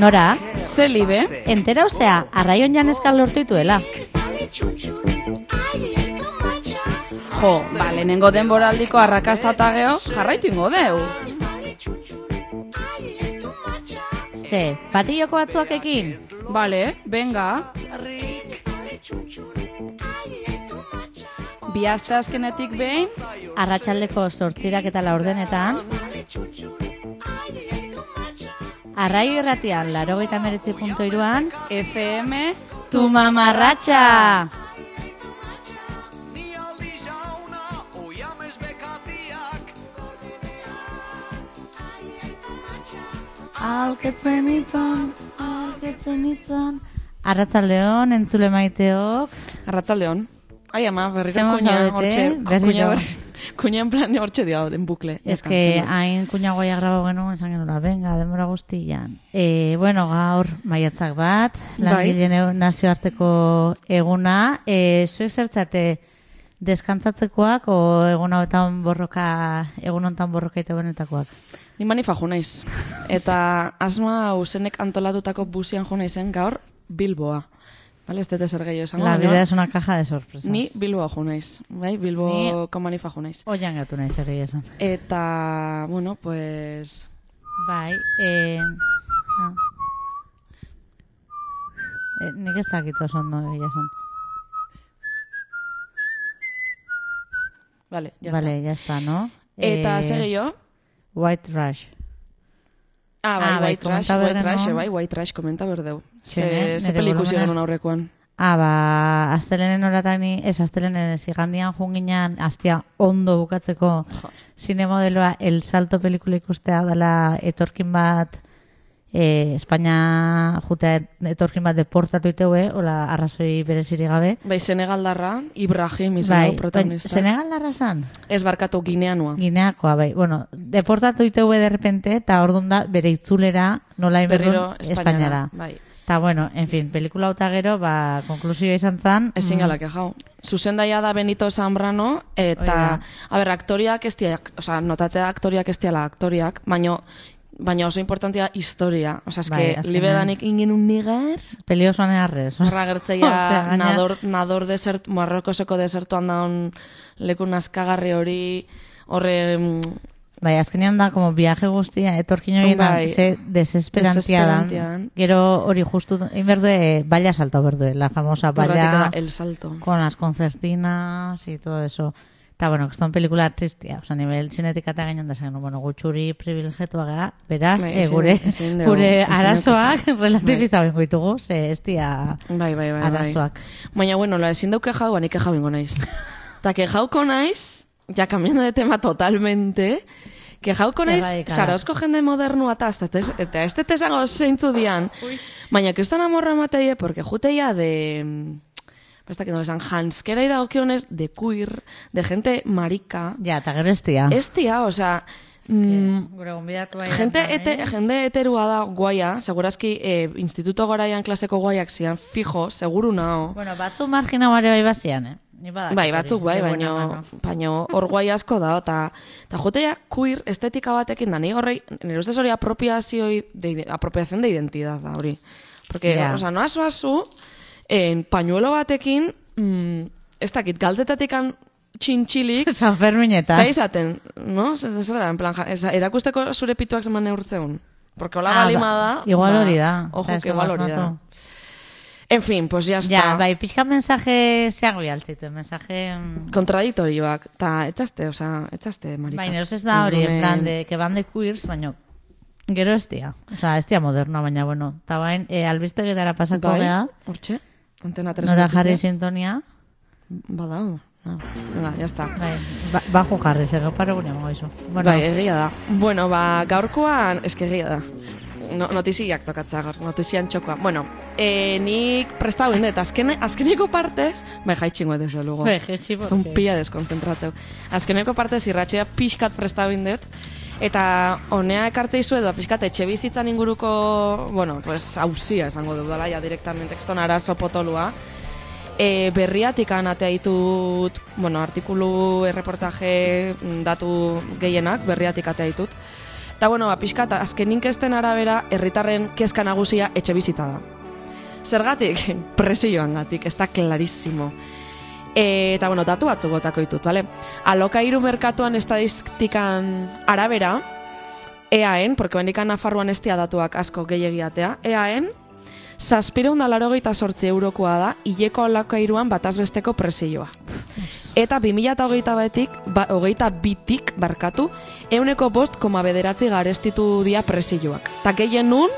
Nora? Zelibe? Entera osea, arraion janezkal lortu dituela. Jo, lehenengo denboraldiko arrakasta eta geho, jarraitu ingo deu. Ze, patilloko batzuakekin? Bale, venga. Bi aste azkenetik behin, Arratsaldeko 8 eta 4 Arraio irratian, 89.3 FM, Tu mamarratxa! Alketzen itzan. Arratsaldeon, entzule maiteok. Arratsaldeon. Ai ama, berriro Zemo kuña, zaudete, hortxe, berriro. kuña en plan hortxe dio, den bukle. Ez que hain kuña goia grabau genuen, esan genuen, venga, denbora guztian. Bueno, gaur maiatzak bat, langileen nazioarteko eguna. Zuek zertzate deskantzatzekoak o egun honetan borroka ite benetakoak? Ni manifa jo naiz. Eta asma usenek antolatutako busian jo naizen gaur Bilboa. Vale, ez dut zer gehiago esango. La vida es una caja de sorpresas. Ni Bilboa jo naiz. Bai, Bilboko manifa jo naiz. Oian gatu naiz egia esan. Eta, bueno, pues... Bai, nik ez dakit oso ondo egia esan. Vale, ya vale, ya está, ¿no? Eta zer gehiago? White Rush. White Trash komenta berdeu. Ze pelikusi genuen aurrekoan. Astelenen oratani, astelenen igandian junginan, astia ondo bukatzeko zinemodeloa El Salto pelikula ikustea dela etorkin bat, Espainia jutea etorkin bat deportatu iteue, hola arrazoi bereziri gabe. Bai, Senegaldarra, Ibrahim izan protagonista. Senegaldarra zan? Ez barkatu Gineanoa. Gineakoa, bai. Bueno, deportatu iteue derrepente, eta orduan da bere itzulera nola inberdun Espainiara. Bai. Eta, bueno, en fin, pelikula hauta gero, konklusioa izan zan. Ezin galak ejau. Zuzendaia da Benito Zambrano, eta, aktoriak ez diak, notatzea aktoriak ez diala aktoriak, baina oso importantia historia. Osa, libedanik ingen un nigar. Peliosoan eharrez. Ragertzeia, nador desert, Marrokoseko desertuan daun leku nazkagarri hori, horre... Bai, azkenean da, como viaje guztia, etorkin hori ze desesperantia dan. Gero hori justu, berde, Valla Salto, berde, la famosa Valla. El Salto. Con las concertinas y todo eso. Eta, bueno, que son película tristia. O sea, nivel zinetikata gainan da zen, bueno, gutxuri privilegiatua gara, beraz, gure arazoak relativiza bengo ditugu, ze ez dia arazoak. Baina, bueno, ezin dauke jau, anik jau ingo naiz. Eta, kejauko naiz, ya cambiando de tema totalmente, kejauko naiz, zarauzko jende modernua eta ez tetesango zeintzu dian, baina kriston amorra mateie, porque juteia de... Basta que no lesan janskera idagokionez de queer, de gente marica. Ja, eta gero estia. Estia, o sea... Jende heterua da guaia, segurazki instituto garaian klaseko guaiak zian, fijo, seguru nao. Bueno, batzu margina bare bai bazian, Bai, batzuk bai, baina hor guai asko da, eta jotea queer estetika batekin da, nire ustez hori apropiación de identidad da, hori. Porque, o sea, noa zoazu, pañuelo batekin, ez dakit, galtzetatik txintxilik... San Ferminetan. Zaizaten, no? Zer da, en plan, erakusteko zure pituak zeman neurtzeun. Porque hola balima da... Igual hori da. Ojo, que igual hori da. En fin, pues ya está. Ja, bai, pixka mensaje zeago jaltzitu, mensaje... Kontradiktorioak, eta etxazte, marika. Baina, ez da hori, en plan, que van de queers, baina... Gero ez dia. O sea, ez dia moderna, baina, bueno. Eta bain, albiste getara pasako geha. Hortxe, Antena 3. Nora jarri sintonia. Badao. Venga, ya está. Bajo jarri, zego pare gunean goizu. Bai, egia da. Bueno, gaurkoan, eske egia da. Notiziak tokatzea gaur, notizian txokoa. Bueno, nik prestau indet, azkeneko partez, bai, jaitxingo desde luego. Bai, jaitxi, porque... Un pila deskonzentratzeu. Azkeneko partez irratxea pixkat prestau indet, eta honea ekartzeizu edo pixkat etxe bizitzan inguruko, bueno, pues, hauzia esango dudala, ja, directamente, ekston arazo potolua. Berriatik anatea ditut, bueno, artikulu, reportaje, datu gehienak, berriatik atea ditut. Eta, bueno, pixkat, azken inkesten arabera, herritarren kezka nagusia etxe bizitza da. Zergatik? Presioangatik, ez da clarísimo. Eta, bueno, datu batzuk botako ditut, bale? Alokairu merkatuan estadistikan arabera, EAen, porque bendikan Nafarroan estia datuak asko gehiagiatea, EAen, 788 eurokoa da, hileko alokairuan batazbesteko presioa. Eta 2022tik, 105,9 garestitu dia presioak. Ta gehien nun,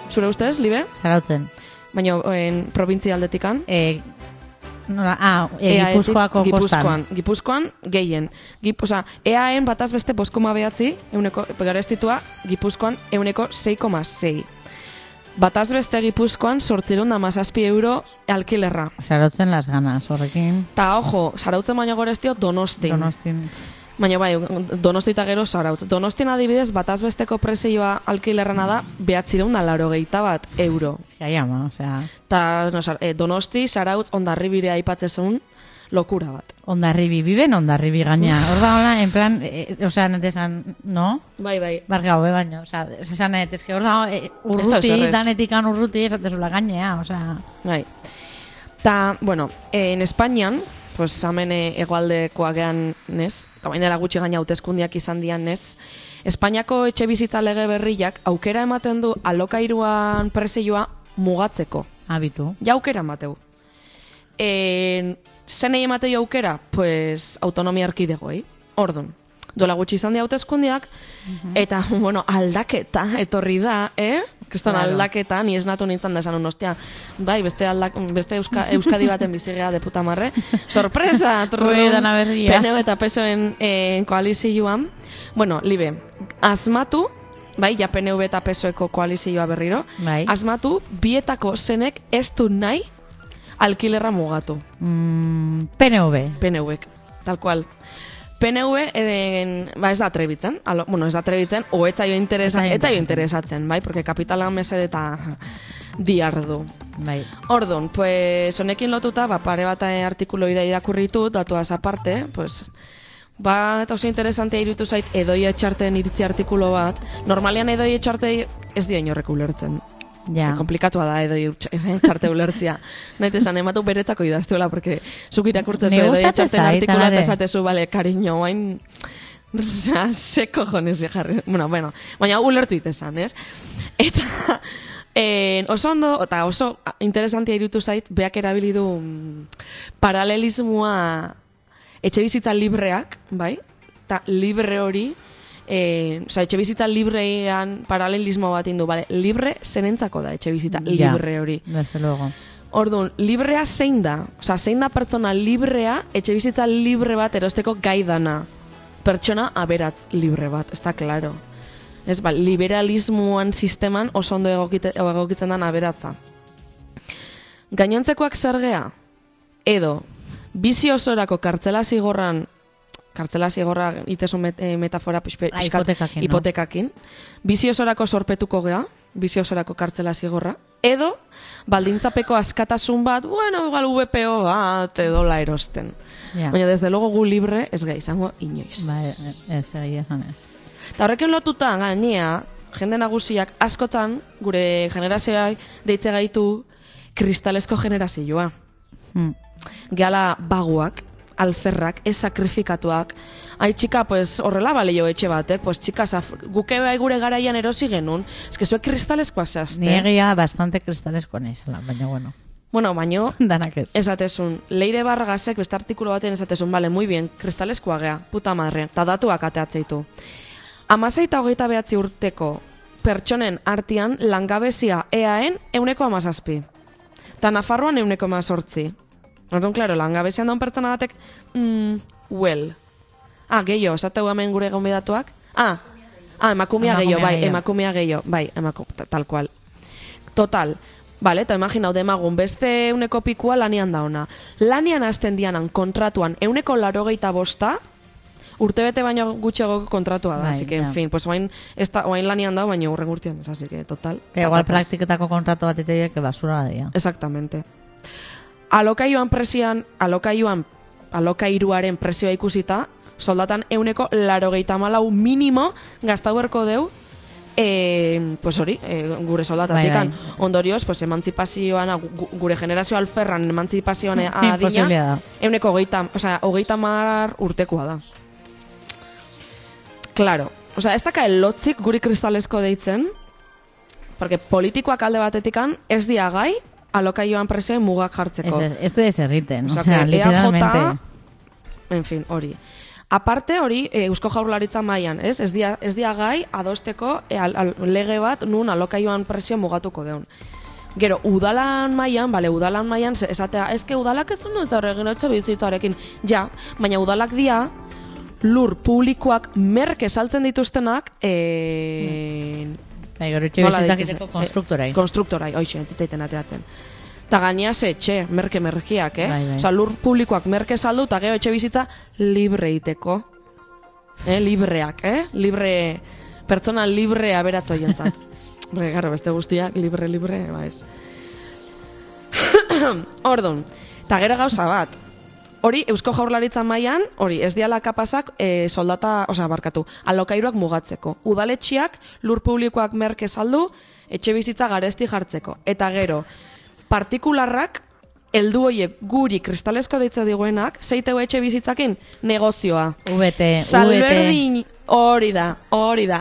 zure ustez, Libe? Zarautzen. Baina, provintzia aldetikan? Gipuzkoako kostan. Gipuzkoan gehien. EAen bataz beste 5,9 garestitua, Gipuzkoan 6,6. Bataz beste Gipuzkoan 817 euro alkilerra. Zarautzen las ganas, horrekin. Ta, ojo, Zarautzen baino gorestio Donostin. Baina bai, Donosti eta gero Zarautz. Donostin adibidez, bataz besteko presioa alkilerrana da, 981 euro. Zia ama, osea... Ta, Donosti, Zarautz, Hondarribire aipatzezun, lokura bat. Hondarribi, biben Hondarribi gaina. Hor da hola, en plan, osea, netesan, no? Bai. Bargau, baina, osea, esan netezke hor da, urruti, danetikan urruti, esatezula gainea, osea... Bai. Ta, bueno, en Espainian, pues hemen hegoaldekoa gean, nez? Eta bain dela gutxi gaina hauteskundiak izan dian, nez? Espainiako etxe bizitza lege berriak aukera ematen du alokairuan presioa mugatzeko. Habitu. Ja aukera emateu. Zenei ematei aukera? Pues autonomia erkidegoei. Ordun. Duela gutxi izan di hauteskundiak, eta, bueno, aldaketa etorri da, Kriston claro. Aldaketa, ni esnatu nintzen da esan unostia. Bai, beste Euskadi baten bizigea de puta marre. Sorpresa! PNV eta PSOen koalizioan. Bueno, Libe, asmatu, bai, ja PNV eta PSOeko koalizioa berriro, bai. Asmatu, bietako zenek ez du nahi alkilerra mugatu. PNV, tal cual. PNV ez da atrebitzen, ez da atrebitzen, o ez zaio interesatzen, bai, porque kapitala mesede eta diardu. Bai. Ordun, pues, honekin lotuta, pare bat artikulo irakurritu, datuaz aparte, pues, eta oso interesantea iruditu zait Edoi Etxarteen iritzi artikulo bat. Normalean Edoi Etxartei ez dio inorrek ulertzen. Ja. Komplikatua da Edoi Etxarte ulertzia. Nahi esan, ematu beretzako idaztuela, porque zuk irakurtzezu Edoi Etxarteen artikulo eta esatezu, bale, cariño, bain... Osea, se cojones jarri. Bueno, baina ulertu itesan, ez? Eta oso ondo, eta oso interesantia iruditu zait, beak erabilidu paralelismoa etxe bizitza libreak, bai? Eta libre hori, etxe bizitza librean paralelismo bat indu, bale? Libre zenentzako da etxe bizitza libre hori. Desde luego. Orduan, librea zein da? Osea, zein da pertsona librea, etxe bizitza libre bat erosteko gai dana? Pertsona aberatz libre bat, ez da klaro. Ez, liberalismoan sisteman oso ondo egokitzen den aberatza. Gainontzekoak zergea? Edo, bizi osorako kartzela zigorra itesun metafora hipotekakin, bizi osorako sorpetuko gea, bizi osorako kartzela zigorra, edo baldintzapeko askatasun bat, igual VPO bat edo la erosten. Baina desde luego gu libre ez gai izango inoiz. Ez egia esan ez. Eta horrekin lotuta gainea, jende nagusiak askotan gure generazioa deitze gaitu kristalesko generazioa. Gehala baguak, alferrak, ez sakrifikatuak. Ai, txika, pues, horrela balio etxe bat, pues, txika, guke bai gure garaian erosi genuen. Ez que zuek kristaleskoa zehazte. Ni egia bastante kristaleskoa nizela, baina bueno. Bueno, baino, danak ez. Esatezun, Leire Barragasek beste artikulo batean esatezun, vale, muy bien, kristaleskoa gea, puta madre, eta datuak ateatzeitu. 16 eta 29 urteko pertsonen artean langabezia EAen 17%. Eta Nafarroan 18%. Orduan, klaro, langabezian daun pertsona batek, gehiago, esateu hemen gure gonbidatuak? Emakumea gehiago, emakumea gehiago, tal cual. Total, vale, eta imaginau demagun, beste 100 pikua lanian da ona. Lanian hasten dianan kontratuan 185, urtebete baino gutxego kontratua da, así que, en fin, pues oain lanian da, baina urren urtean, así que, total. Igual praktiketako kontratu bat iteia, que basura badia. Exactamente. Alokairuaren presioa ikusita, soldatan 184 minimo gaztau berko deu Pues hori, gure soldatatik ondorioz, pues emantzipazioan, gure generazio alferran emantzipazioan adina, 30 urtekoa da. Claro, ez daka lotzik guri kristalesko deitzen, porque politikoak alde batetikan ez dia gai alokaioan prezioen mugak jartzeko. Esto es erriten, literalmente. En fin, hori. Aparte hori, Eusko Jaurlaritza mailan, ez dia gai adosteko lege bat nun alokaioan prezio mugatuko deun. Gero, udalan mailan, esatea, ezke udalak ez duen ez da horregin etxebizitzarekin, ja, baina udalak dia, lur publikoak merke saltzen dituztenak, gero etxebizitzak iteko konstruktorai. Konstruktorai, hoxe, entzitzaiten ateratzen. Ta gaina etxe, merkiak, Osa, lur publikoak merke saldu, eta gero etxebizitza libre iteko. Libreak, libre, pertsona libre aberatzo jentzat. Garo, beste guztiak, libre, ba ez. Ordun, eta gero gauza bat, hori, Eusko Jaurlaritza mailan, hori, ez diala kapasak alokairuak mugatzeko. Udaletxiak, lur publikoak merke saldu, etxe bizitza garesti jartzeko. Eta gero, partikularrak, heldu hoiek guri kristalesko deitza diguenak, zeiteu etxe bizitzakin negozioa. Salberdin, hori da.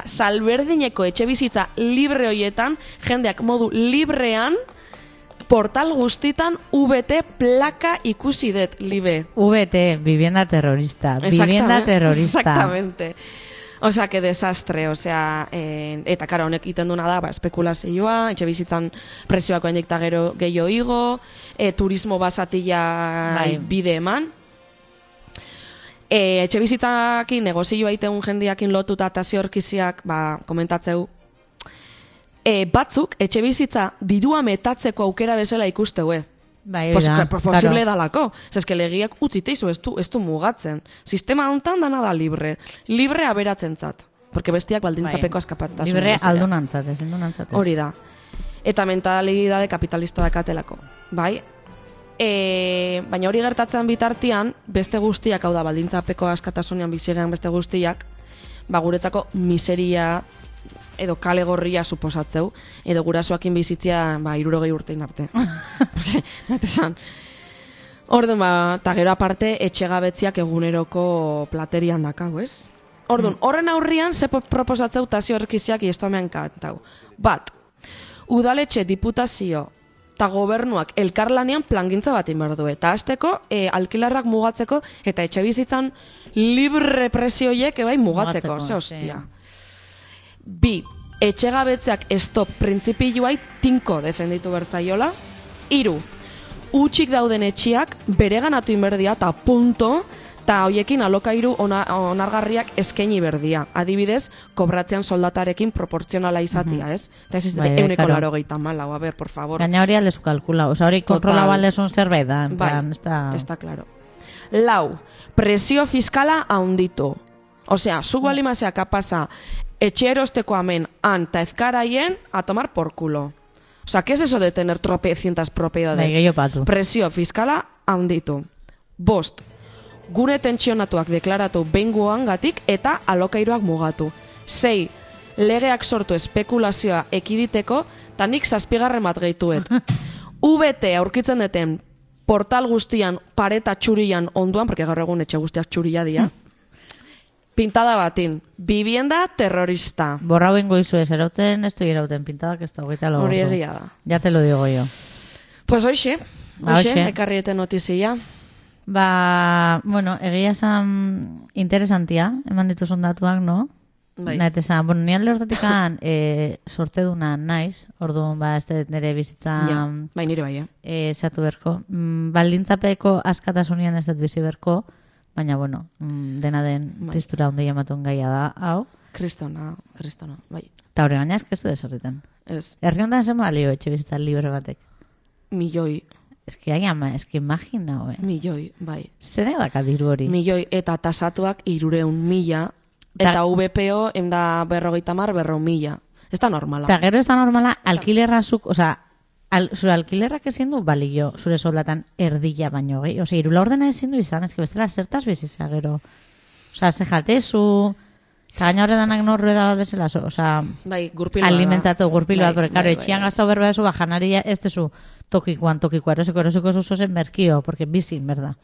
Salberdineko etxe bizitza libre hoietan, jendeak modu librean, portal guztitan VT plaka ikusi dut, libe. VT, vivienda terrorista. Exactamente. Osea, que desastre, eta karo, honek iten duna da, espekulazioa, etxe bizitzan prezioako hendik gero gehiago igo, turismo basatila bide eman. Etxe bizitzakin negozioa iteun jendiakin lotuta eta ziorkiziak, komentatzeu, batzuk etxe bizitza dirua metatzeko aukera bezala ikusteue. Posible dalako. Eske legiak utziteizu ez du mugatzen. Sistema hontan dana da libre. Libre aberatzentzat. Porque bestiak baldintzapeko askapatasun. Libre aldunantzat, ez endunantzat. Hori da. Eta mentalidade kapitalista dakatelako. Bai? Baina hori gertatzen bitartean, beste guztiak, hau da, baldintzapeko askatasunean bizigean beste guztiak, guretzako miseria edo kale gorria suposatzeu, edo gurasoakin bizitzia 60 urtein arte. Natesan. Orduan, eta gero aparte, etxegabetziak eguneroko platerian dakau, ez? Orduan, horren aurrian, ze proposatzeu tazio erkiziak iestomean kantau. Bat, udaletxe diputazio eta gobernuak elkarlanean plangintza bat inberdu. Eta azteko, alkilarrak mugatzeko, eta etxe bizitzan libre presioiek mugatzeko. Ze hostia. Bi, etxegabetzeak stop printzipioai tinko defenditu bertzaiola. 3, utxik dauden etxiak bereganatu inberdia eta punto, eta hoiekin alokairu onargarriak eskaini berdia. Adibidez, kobratzean soldatarekin proportzionala izatia, ez? Eta ez izate, 180 a ver, por favor. Gaina hori aldezu kalkula, oza hori kontrola baldezun zerbait da. Está claro. 4, presio fiskala haunditu. Osea, zuk balimazea kapasa etxe erosteko amen anta ezkaraien a tomar por culo. O sea, ¿qué es eso de tener tropecientas propiedades? Presio fiskala haunditu. 5, gune tentsionatuak deklaratu behingoan gatik eta alokairuak mugatu. 6, legeak sortu espekulazioa ekiditeko eta nik 7 bat gehituet. VT aurkitzen deten portal guztian pareta txurian onduan, porque gaur egun etxe guztiak txuria dira, pintada batin. Vivienda terrorista. Borrau ingo izu ez, erotzen ez du irauten pintadak ez da hogeita logo. Hori egia da. Ya te lo digo yo. Pues hoxe, ekarriete notizia. Bueno, egia esan interesantia, eman dituzun datuak, no? Naite esan, bueno, ni alde hortatikan sorte duna naiz, orduan, ez nire bizitza... Bai, nire bai, zatu berko. Baldintzapeko askatasunian ez dut bizi berko, baina, bueno, dena den tristura onde jamatun gaia da, hau. Kristona, bai. Eta hori gaina eskestu desorriten. Ez. Herri ondan zen balio etxe bizitza libre batek. Milioi. Eski imagina, Milioi, bai. Zene daka diru hori? Milioi, eta tasatuak 300.000, eta VPO enda 50.000. Ez da normala. Eta gero ez da normala, alkilerrazuk, oza, zure alkilerrak ezin du balio zure soldatan erdila baino, gehi? Oza, irula ordena ezin du izan, ez que bestela zertaz bizitza gero. Oza, ze jatezu, Eta gaina horredanak norru da bezala, oza, bai, gurpil bat. alimentatu gurpil bat, porque, claro, bai, etxian bai. gaztau berba esu, janaria, ez tezu tokikoa, erosiko esu zozen merkio, porque bizin, berda.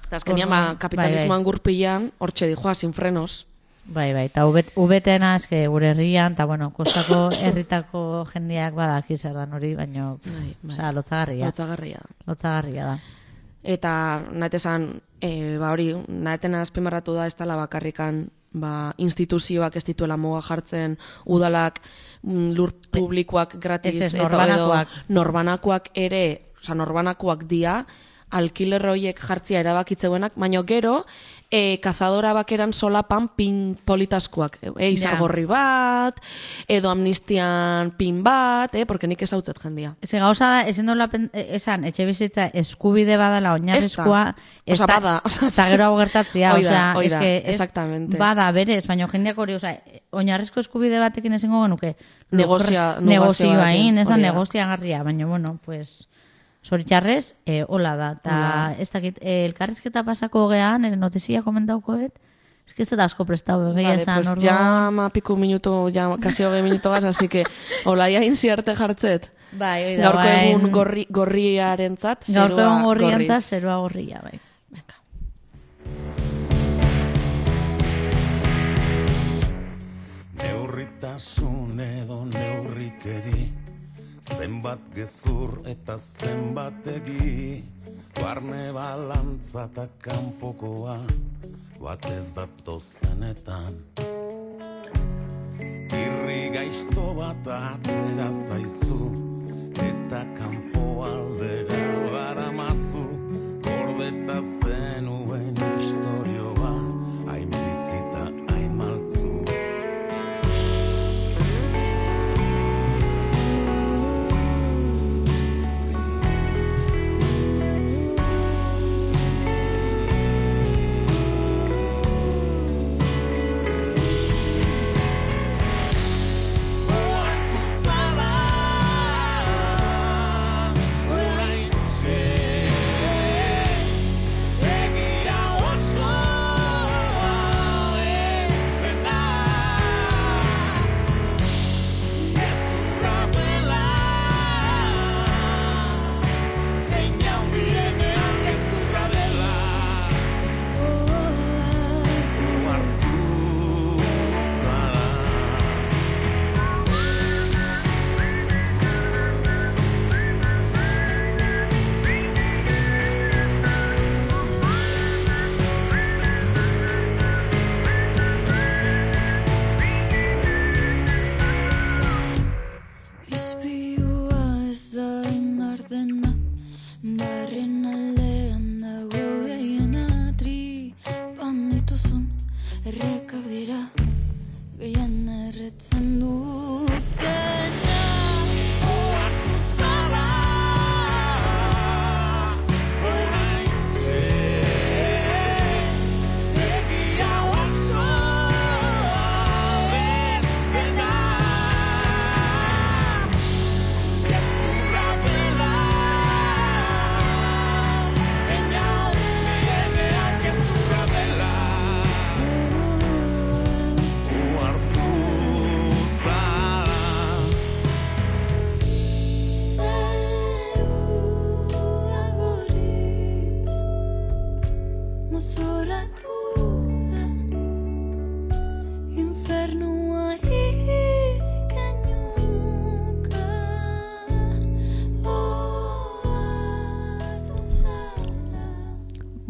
Eta azkenian, kapitalismoan gurpilan, hortxe dijoa, sin frenos. Bai, eta ubetena, eske gure herrian, eta, bueno, kostako herritako jendeak badaki zer dan hori, baina, oza, lotzagarria. Lotzagarria da. Eta, nahetezan, hori, nahetena azpimarratu da, ez dela bakarrikan, instituzioak ez dituela muga jartzen, udalak, lur publikoak gratis, norbanakoak. Norbanakoak ere, oza, norbanakoak dia, alkiler horiek jartzia erabakitzeuenak, baina gero, kazadora bakeran solapan pin politaskoak, izargorri bat, edo amnistian pin bat, porque nik ezautzet jendia. Eze gauza da, ezen dola esan, etxe bizitza eskubide badala oinarrizkoa, eta gero hau gertatzia, exactamente. Bada berez, baina jendeak hori, oinarrizko eskubide batekin ezingo genuke, negozioa hain, ez da negoziagarria, baina, bueno, pues... Zoritxarrez, hola da. Eta ez dakit, elkarrizketa pasako gean, notizia komentaukoet, ez que ez da asko prestau egia esan. Vale, pues ya piku minuto, ya kasi 20 minuto gaz, así que hola ya inziarte jartzet. Bai, oida, gaurko egun gorriaren zat, zerua gorriz. Gaurko egun gorrian zat, zerua gorria, bai. Venga. Neurritasun edo neurrikeri, zenbat gezur eta zenbat egi, barne balantza eta kanpokoa, bat ez dato zenetan. Irri gaizto bat atera zaizu, eta kanpo aldera baramazu, gordeta zenuen historioa, hain bizita, hain maltzu.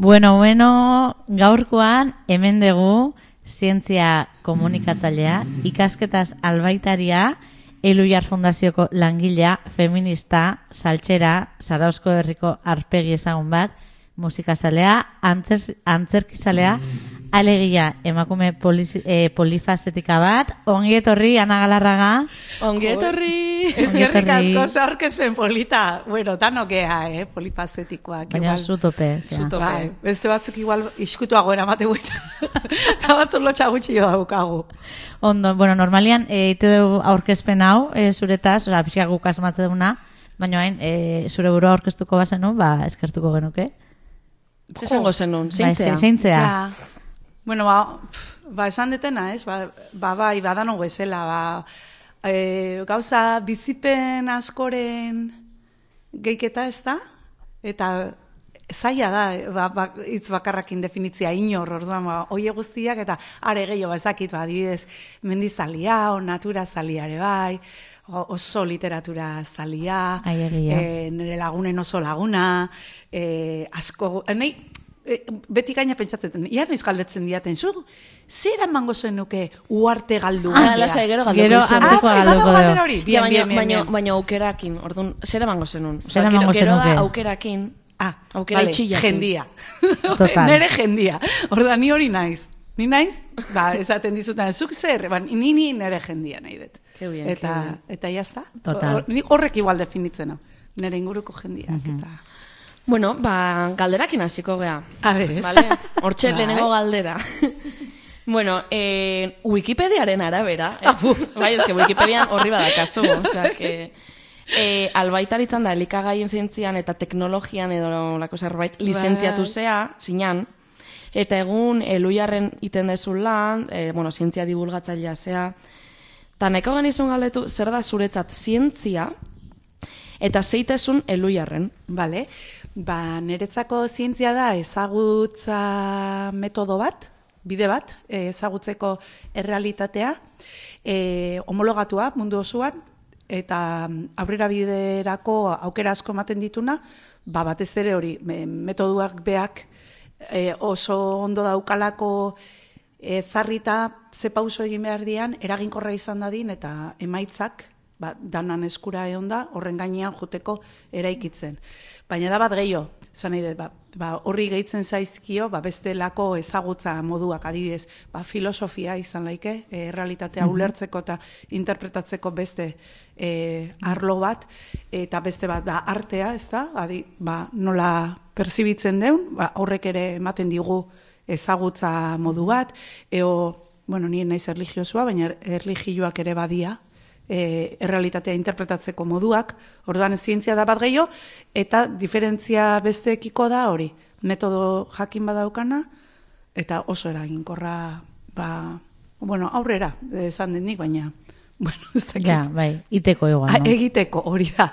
Bueno, gaurkoan hemen dugu zientzia komunikatzailea, ikasketaz albaitaria, Eluiar Fundazioko langilea, feminista, saltxera, Zarauzko herriko arpegi ezagun bat, musikazalea, antzerkizalea, alegia emakume polifazetika bat, ongi etorri, Ana Galarraga. Ongi etorri! Eskerrik asko zaurkezpen polita. Bueno, danokea, polifazetikoak. Baina zutope. Bai, beste batzuk igual iskutuago eramate guita. Eta batzuk lotxa gutxi daukagu. Ondo, bueno, normalian, ite dugu aurkezpen hau, zuretaz, pixka guk asmatze duguna, baina hain, zure burua aurkeztuko bazenu, eskertuko genuke. Zesango zenun, zeintzea. Zeintzea. Bueno, esan detena, ez? Bai, badano bezala, gauza bizipen askoren geiketa ez da? Eta zaila da, hitz bakarrakin definitzia inor, orduan, oie guztiak, eta are gehiago ezakit, adibidez, mendizalia, o natura zaliare bai, oso literatura zalia, nire lagunen oso laguna, asko, nahi, beti gaina pentsatzen, ia noiz galdetzen diaten, zu, zer emango zenuke uarte galdu? Lasai, gero galduko dugu. Baina aukerakin, orduan, zer emango zenun? Gero da aukerakin, aukera itxillakin. Jendia. Nere jendia. Orduan, ni hori naiz. Ni naiz, esaten dizutan, zuk zer, ni nere jendia nahi dut. Eta jazta. Horrek igual definitzen hau. Nere inguruko jendiak, eta... Bueno, galderakin hasiko gea. A ver. Hortxe lehenengo galdera. Bueno, Wikipediaren arabera. Bai, eske Wikipedian horri badakazu. Osea, que... albaitaritzan da, elikagaien zientzian eta teknologian edo lako zerbait lizentziatu zea, zinan. Eta egun, Eluiarren iten dezun lan, zientzia divulgatzailea zea. Ta nahiko genizun galdetu, zer da zuretzat zientzia eta zeitesun Eluiarren? Bale. Niretzako zientzia da ezagutza metodo bat, bide bat, ezagutzeko errealitatea, homologatua mundu osoan, eta aurrera biderako aukera asko ematen dituna, batez ere hori, metoduak beak oso ondo daukalako zarrita ze pauso egin behar dian, eraginkorra izan dadin, eta emaitzak, danan eskura egon da, horren gainean joteko eraikitzen. Baina da bat gehiago, zan nahi dut, horri gehitzen zaizkio, bestelako ezagutza moduak, adibidez, filosofia izan laike, realitatea ulertzeko eta interpretatzeko beste arlo bat, eta beste bat da artea, ez da, nola perzibitzen deun, horrek ere ematen digu ezagutza modu bat, nire naiz erlijiosua, baina erlijioak ere badia, errealitatea interpretatzeko moduak, orduan zientzia da bat gehiago, eta diferentzia besteekiko da hori, metodo jakin badaukana, eta oso eraginkorra, aurrera, esan den nik, baina, ez dakit. Ja, iteko igual, no? Egiteko, hori da,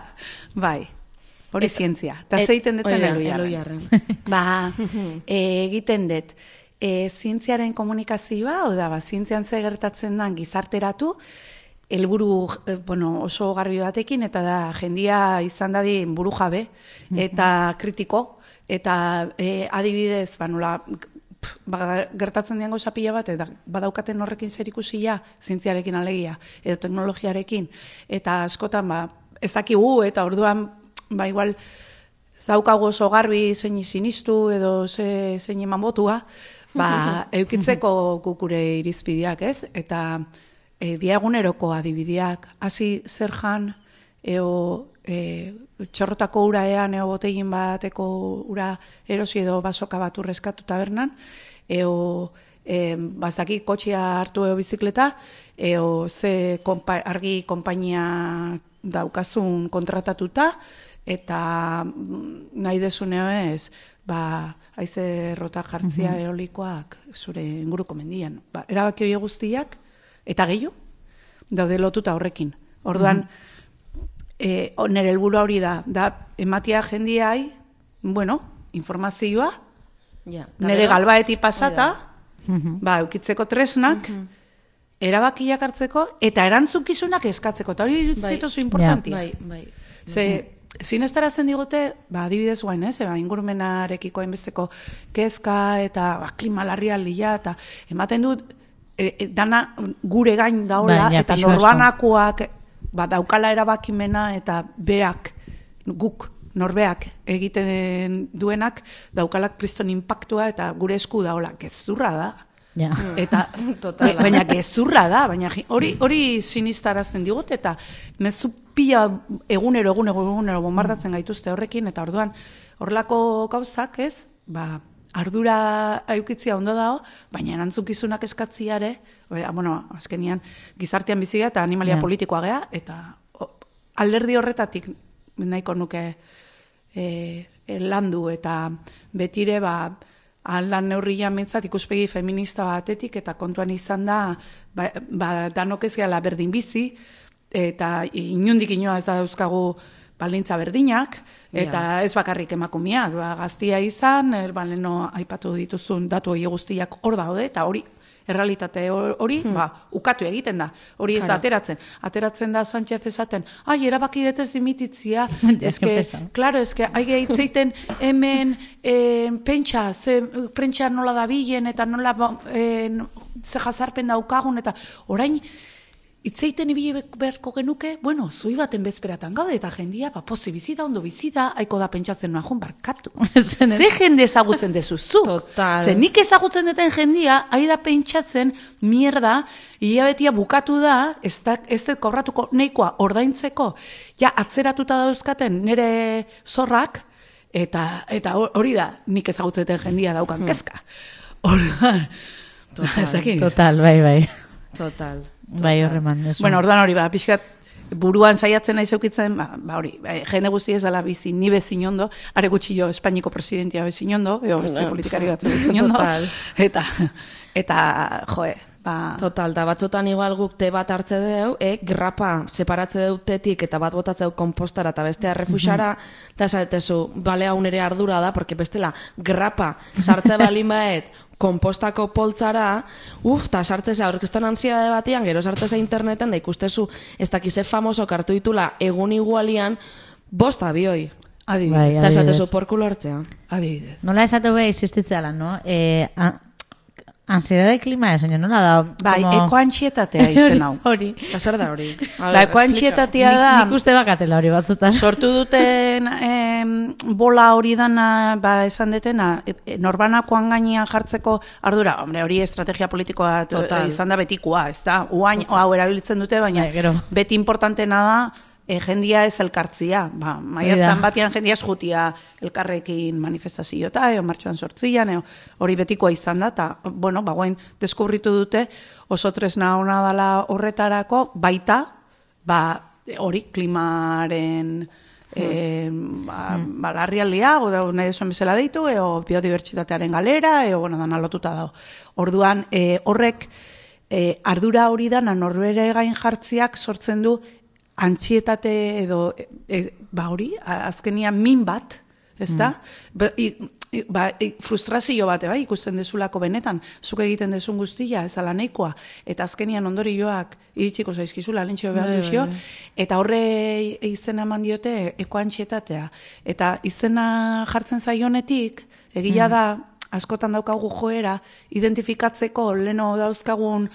hori zientzia. Eta zeiten duten Eluiarren. Egiten dut, zientziaren komunikazioa, zientzian ze gertatzen den gizarteratu, helburu oso garbi batekin, eta da jendia izan dadin buru jabe, eta kritiko, eta adibidez, gertatzen diango zapila bat, eta badaukaten horrekin zerikusia, zientziarekin alegia, edo teknologiarekin, eta askotan, ez dakigu, eta orduan, igual, zaukago oso garbi zein sinistu, edo zein eman botua, eukitzeko kukure irizpideak, ez? Eta diaguneroko adibideak, hasi zer jan, txorrotako ura ean, botegin bateko ura erosi edo basoka bat urreskatu tabernan, bazaki kotxea hartu bizikleta, ze argi konpainia daukazun kontratatuta, eta nahi desuneo ez, haize rota jartzia eolikoak zure inguruko mendian. Erabaki hori guztiak, eta gehiago, daude lotuta horrekin. Orduan, nire helburu hori da ematia jendiai, informazioa, nire galbaeti pasata, eukitzeko tresnak, erabakiak hartzeko, eta erantzukizunak eskatzeko, eta hori zitozu importantia. Ze, zinestarazten digute, adibidez guain, ingurumenarekiko hainbesteko kezka, eta klima larrialdia, eta ematen dut, dana gure gain daola, eta norbanakoak daukala erabakimena, eta beak, guk, norbeak egiten duenak, daukala kriston impactua, eta gure esku daola, gezurra da. Baina gezurra da, baina hori sinistarazten digut, eta mezu pila egunero bombardatzen gaituzte horrekin, eta orduan horrelako gauzak ez, ardura eukitzia ondo dago, baina erantzukizunak eskatziare, azkenian gizartean biziga eta animalia politikoa gea, eta alderdi horretatik nahiko nuke landu, eta betire aldan neurrian mentzat ikuspegi feminista batetik, eta kontuan izan da, danok ez gehala berdin bizi, eta inundik inoa ez da dauzkagu balintza berdinak, eta ez bakarrik emakumeak, gaztia izan, leno aipatu dituzun datu hori guztiak hor daude, eta hori, errealitate hori, ukatu egiten da, hori ez da ateratzen da Sánchez esaten, erabaki detez dimititzia, claro, haige hitzeiten hemen prentsa nola dabilen, eta nola ze jazarpen daukagun, eta orain, itzeiten ibili beharko genuke, zui baten bezperatan gaude, eta jendia, pozi bizida, ondo bizida, haiko da pentsatzen noa barkatu. Ze jende ezagutzen dezuzu. Total. Ze nik ezagutzen deten jendia, hai da pentsatzen, mierda, hilabetia bukatu da, ez dut kobratuko neikoa ordaintzeko, atzeratuta dauzkaten nire zorrak, eta hori da, nik ezagutzen deten jendia daukan kezka. Total, bai. Total. Bai, horreman. Orduan hori, pixkat, buruan saiatzen nahi zeukitzen, hori, jende guzti ez dela bizi, ni bezin ondo, are gutxi jo, Espainiko presidentia bezin ondo, beste politikari bat bezin ondo, eta, joe, Total, da batzotan igual guk te bat hartze deu, grapa separatze deutetik eta bat botatzeu kompostara eta bestea refusara, eta esatezu, bale hau nere ardura da, porque bestela grapa sartze balin baet, kompostako poltzara, eta sartzeza aurkezton ansiedade batian, gero sartzeza interneten, da ikustezu, ez dakize famoso kartu ditula egun igualian, 5 abioi. Adibidez. Eta esatezu porkulo hartzea. Adibidez. Nola esatu beha existitzea no? Ansiedade klima esan, nola da? Bai, ekoantxietatea izen hau. Hori. Eta zer da hori? Ekoantxietatea da... Nik uste bakatela hori batzutan. Sortu duten bola hori dana, esan detena, norbanakoan gainean jartzeko ardura, hori estrategia politikoa izan da betikoa, ez da? Uain, hau erabiltzen dute, baina beti importantena da, jendia ez elkartzia. Maiatzan batian jendia ez jutia elkarrekin manifestazio eta martxoan 8an, hori betikoa izan da, eta, bagoen deskubritu dute oso tresna ona dela horretarako, baita, hori klimaren larrialdia, nahi desuen bezala deitu, biodibertsitatearen galera, dan alotuta dago. Orduan, horrek, ardura hori dana norbere gain jartziak sortzen du antxietate edo, hori, azkenian min bat, ez da? Frustrazio bat, ikusten dezulako benetan, zuk egiten dezun guztia, ez ala nahikoa, eta azkenian ondorioak iritsiko zaizkizula, lentxio behar duzio, eta horre izena eman diote ekoantxietatea. Eta izena jartzen zaionetik, egia da, askotan daukagu joera, identifikatzeko leno dauzkagun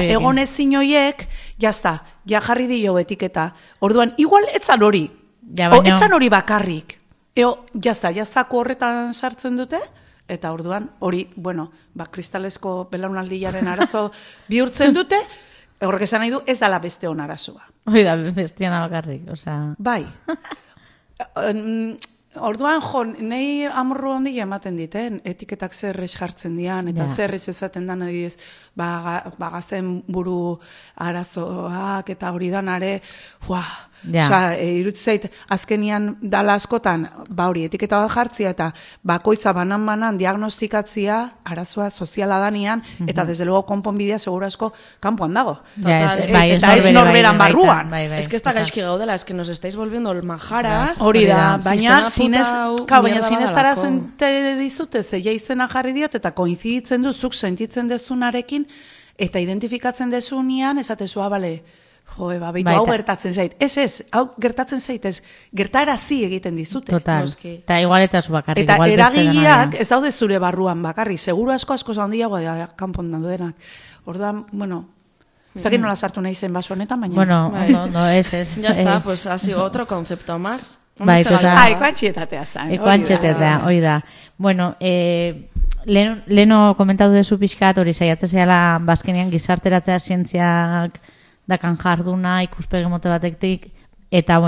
egonezin hoiek, jazta, jarri dio etiketa. Orduan, igual etzan hori, etzan hori bakarrik. Jaztako horretan sartzen dute, eta orduan, hori, kristalesko belaunaldilaren arazo bihurtzen dute, horrek esan nahi du, ez dala beste hon arazoa. Hoi da, bestiana bakarrik, oza... Bai. Orduan, nahi amorru handia ematen dit, etiketak zerrez jartzen dian, eta zerrez esaten dan, adibidez, gazten buru arazoak, eta hori danare, irutzeit, azkenian dala askotan, hori, etiketa bat jartzia, eta bakoitza banan diagnostikatzia, arazoa soziala danian, eta desde luego konponbidea segura asko kanpoan dago. Eta ez norberan barruan. Ez que ez da gaizki gaudela, ez que nos estáis volviendo majaras. Hori da, baina zineztarazen dizute, zeia izena jarri diot, eta koinziditzen duzuk sentitzen dezunarekin, eta identifikatzen dezunean, esatezua, bale, hau gertatzen zait. Ez, hau gertatzen zait, ez gertarazi egiten dizute. Total, eta igual etzazu bakarrik. Eta eragileak ez daude zure barruan bakarrik, seguru asko handiagoa da kanpon denak. Orduan, ez dakit nola sartu nahi zen baso honetan, baina... no, ez. Ya está, pues ha sido otro concepto más. Bai, total. Ekoantxietatea zen. Ekoantxietatea, hori da. Bueno, leno komentatu dezu pixkat, hori saiatzea bazkenean gizarteratzea zientziak dakan jarduna, ikuspegi mote batetik, eta,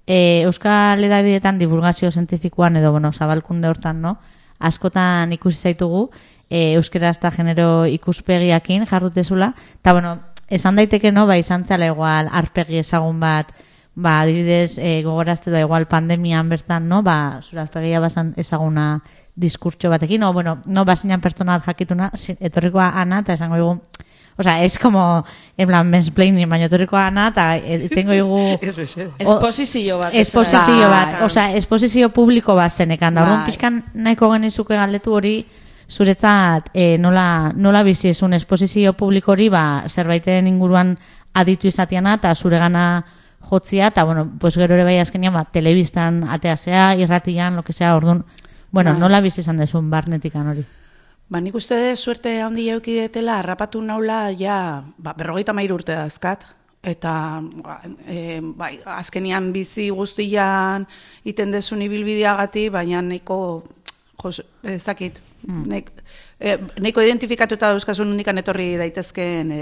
Euskal Hedabideetan divulgazio zientifikoan edo, zabalkunde hortan, askotan ikusi zaitugu, euskera eta genero ikuspegiakin jardutezula, eta, esan daiteke, izan zela igual arpegi ezagun bat, adibidez, gogorazte da igual pandemian bertan, zure arpegia bazan ezaguna diskurtso batekin, o, bueno, no bazinan pertsona jakituna, etorrikoa ana, eta esango dugu, osea, es como, en plan, mansplaining, baina etorrikoa ana, eta tengo dugu... Esposizio bat. Esposizio bat, osea, esposizio publiko bat zenekan, da, orduan pixkan nahiko genizuke galdetu hori, zuretzat nola bizi esun esposizio publiko hori, zerbaiten inguruan aditu izatiana, eta zuregana jotzia, eta, bueno, pues gero ere bai azkenian, telebistan ateazea, irratian, lo que sea, orduan, bueno, nola bizi izan dezun barnetikan hori? Nik uste suerte handi jauki detela, harrapatu naula, ja, 53 urte dazkat, eta azkenian bizi guztian iten dezun ibilbideagati, baina neko, ez dakit, neko identifikatuta dauzkasun unikan etorri daitezken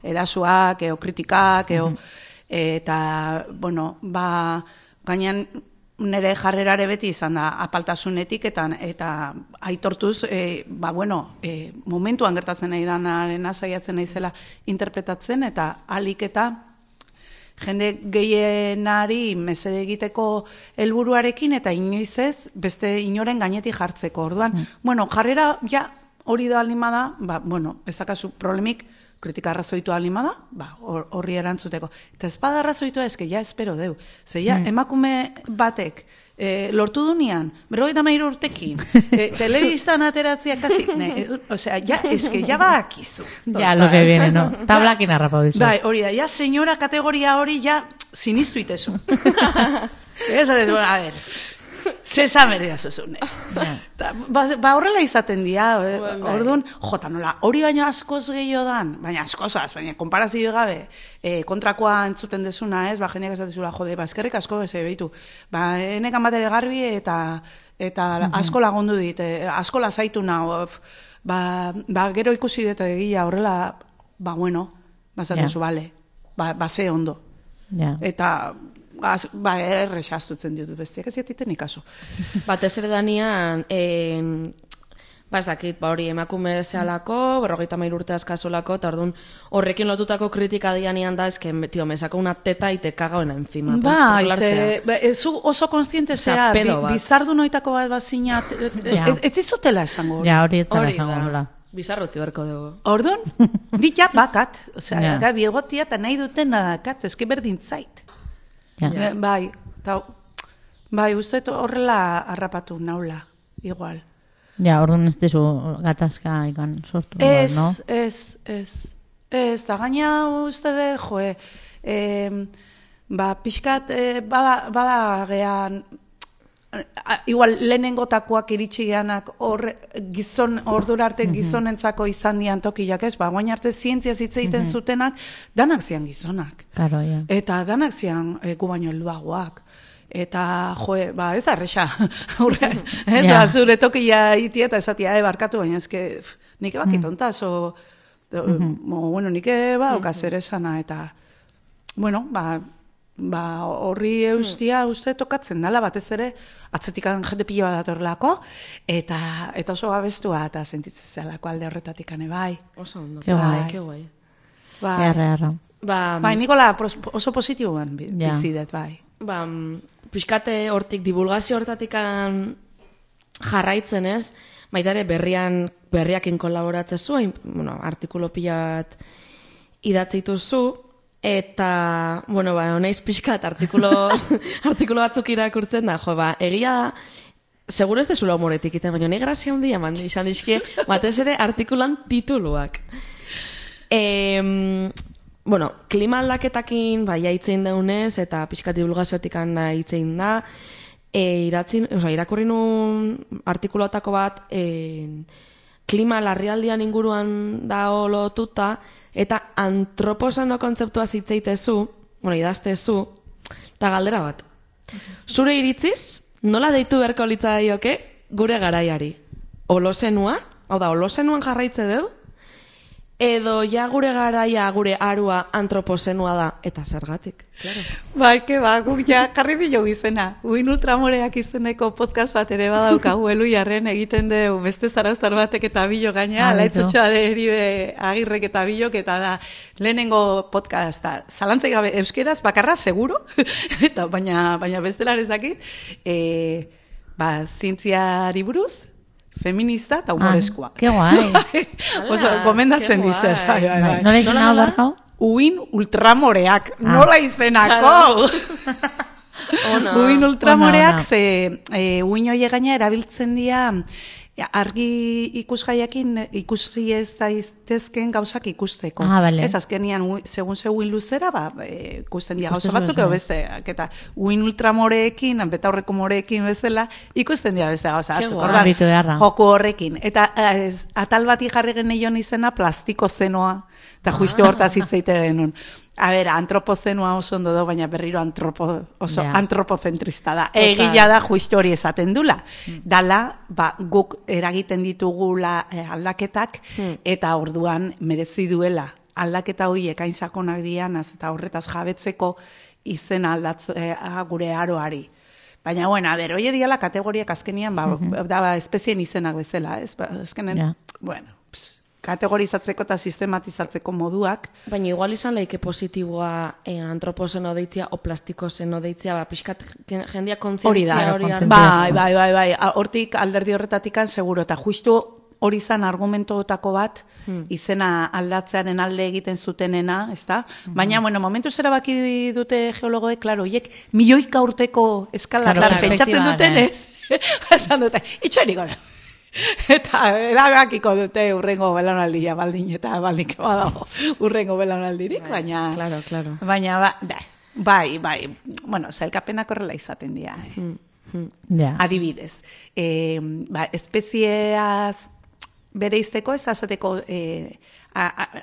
erasuak, kritikak, eta, bueno, gainean nire jarrerare beti izan da apaltasunetik eta aitortuz, momentuan gertatzen nahi danaren saiatzen naizela interpretatzen eta alik eta jende gehienari mesede egiteko helburuarekin eta inoiz ez beste inoren gainetik jartzeko. Orduan, jarrera ja hori da alima da, ez dakazu problemik kritika arrazoitua alima da, horri erantzuteko. Eta ez bada arrazoitua eske, ja espero deu. Ze ja, emakume batek lortu dunean, 53 urtekin, telebistan ateratzea kasi, osea, ja, eske, ja badakizu. Ja, lo que viene, no? Tablakin harrapau dizu. Bai, hori da, ja, senyora kategoria hori, ja, sinistu itezu. Ez, a ver... Zesa merea zuzune. Horrela izaten dira, orduan, nola, hori baina askoz gehiago dan, baina askozaz, baina konparazio gabe, kontrakoa entzuten dezuna, ez, jendeak ez datezula, eskerrik asko ez behitu, enekan bat ere garbi eta asko lagundu dit, asko lasaitu nago, gero ikusi dut egia horrela, zatezu, bale, ze ondo. Eta... errexastutzen ditut bestiak ez jatiten ikaso. Batez ere danian, ez dakit, hori emakume zehalako, 53 urte askazolako, eta orduan horrekin lotutako kritika dianian da, eske, tio, me sako una teta y te cago en encima. Zu oso konstiente zea, bizardu noitako bat bazina, ez izutela esango. Ja, hori etzara esango. Bizarrotzi berko dugu. Orduan, dit ja bakat, osea, gabi egotia eta nahi duten nadakat, eski berdin zait. Bai, uste horrela harrapatu naula, igual. Ja, orduan ez dizu gatazka ikan sortu, no? Ez, da gaina uste de, pixkat bada gean, igual lehenengotakoak iritsi geanak ordura arte gizonentzako izan dian tokiak ez, guain arte zientzia zitzeiten zutenak, danak zian gizonak. Claro, ja. Eta danak zian gu baino helduagoak. Eta, ez arrexa. Zure tokia itia eta esatia barkatu, baina ezke nik ebakitontas, nik ebaukaz ere esana, eta, horri eustia uste tokatzen dela, batez ere, atzetikan jende pilo bat datorlako, eta oso abestua eta sentitzen zelako alde horretatik bai. Oso ondo, ke guai. Erra. Bai, Nikola oso positiboan bizidet, bai. Piskate hortik, divulgazio hortatik jarraitzen ez, baita ere berriakin kolaboratzen zuen, artikulo pilat idatzitu zu, eta, honeiz pixkat artikulo batzuk irakurtzen da, egia da, seguro ez dezula humoretik iten, baina nahi grazia handia izan dizkie, batez ere artikulan tituluak. Klima aldaketakin hitzein daunez, eta pixkat divulgaziotik hitzein da, irakurri nun artikuloetako bat, klima larrialdian inguruan da lotuta, eta antroposano kontzeptua zitzeitezu, idaztezu, eta galdera bat. Zure iritziz, nola deitu beharko litzaioke gure garaiari? Holozenua? Hau da, holozenuan jarraitze deu? Edo ja gure garaia, gure arua antropozenua da, eta zergatik? Claro. Bai, guk ja jarri dio izena. Uin ultramoreak izeneko podcast bat ere badaukagu Eluiarren egiten dugu beste zarauztar batek eta bilo gaina, laitzotxoa deribe Agirrek eta bilok, eta da lehenengo podcasta. Zalantzai gabe euskeraz, bakarra, seguro, eta baina bestelar ezakit, zientziari buruz, feminista eta humoreskoa. Ke guai. Oso, gomendatzen dizen. Nola izena Barkau? Uin ultramoreak, nola izenako? Uin ultramoreak, ze uin hori gaina erabiltzen dira argi ikusgaiakin ikusi ez daitezken gauzak ikusteko. Vale. Ez azkenian, segun uin luzera, ikusten dira gauza batzuk, edo besteak, eta uin ultramoreekin, betaurreko moreekin bezala, ikusten dira beste gauza batzuk. Joku horrekin. Eta atal bati jarri geneion izena plastiko zenoa, eta justu hortaz hitzeite genuen. A ber, antropozenua oso ondo do, baina berriro antropozentrista da. Egia da justu hori esaten dula. Dala, guk eragiten ditugula aldaketak, eta orduan merezi duela aldaketa horiek hain sakonak dianaz, eta horretaz jabetzeko izena aldatzea gure aroari. Baina, bueno, a ber, hori diala kategoriak azkenian, espezien izenak bezala, azkenen, bueno, kategorizatzeko eta sistematizatzeko moduak. Baina igual izan leike positiboa antropozeno deitzia o plastikoseno deitzia, pixkat jendia kontzientzia hori hartu. Bai. Hortik alderdi horretatikan seguro, eta justu hori izan argumentoetako bat, izena aldatzearen alde egiten zutenena, ezta? Baina, bueno, momentu zera baki dute geologoek, klaro, hiek milioika urteko eskala pentsatzen duten ez? Esan dute, itxoeniko da. Eta erabakiko dute urrengo belaunaldia baldin eta baldin badago urrengo belaunaldirik, baina claro. Baina bai, bueno, sailkapenak horrela izaten dira. Adibidez, espezieaz bereizteko, ez azateko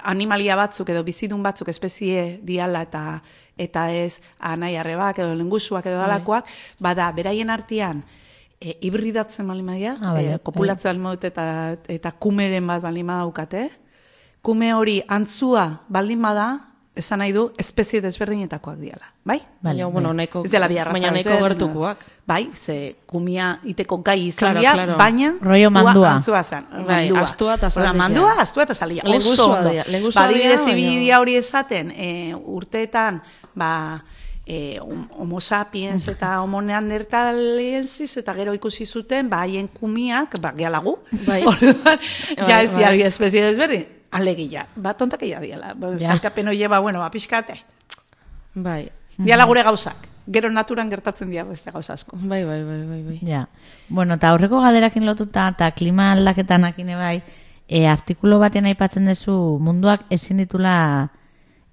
animalia batzuk edo bizidun batzuk espezie diala eta ez anai arrebak edo lengusuak edo dalakoak, bada, beraien artean hibridatzen baldin badia, kopulatzen baldin badute eta kumeren bat baldin badaukate. Kume hori antzua baldin bada, esan nahi du, espezie desberdinetakoak diala. Bai? Baina nahiko gertukoak. Bai, ze kumia iteko gai izan dira, baina antzua zen. Astua eta zalia. Mandua, astua eta zalia. Oso ondo. Adibidez, ibidia hori esaten, urteetan, homo sapiens eta homo neanderthalensis eta gero ikusi zuten, haien kumiak, gealagu, ja ez dira espezie desberdin, alegia, tontakia diala, salkapen hori pixkate. Bai. Diala gure gauzak, gero naturan gertatzen dira beste gauza asko. Bai. Ja, bueno, eta aurreko galderakin lotuta, eta klima aldaketan akine bai, artikulu batean aipatzen duzu munduak ezin ditula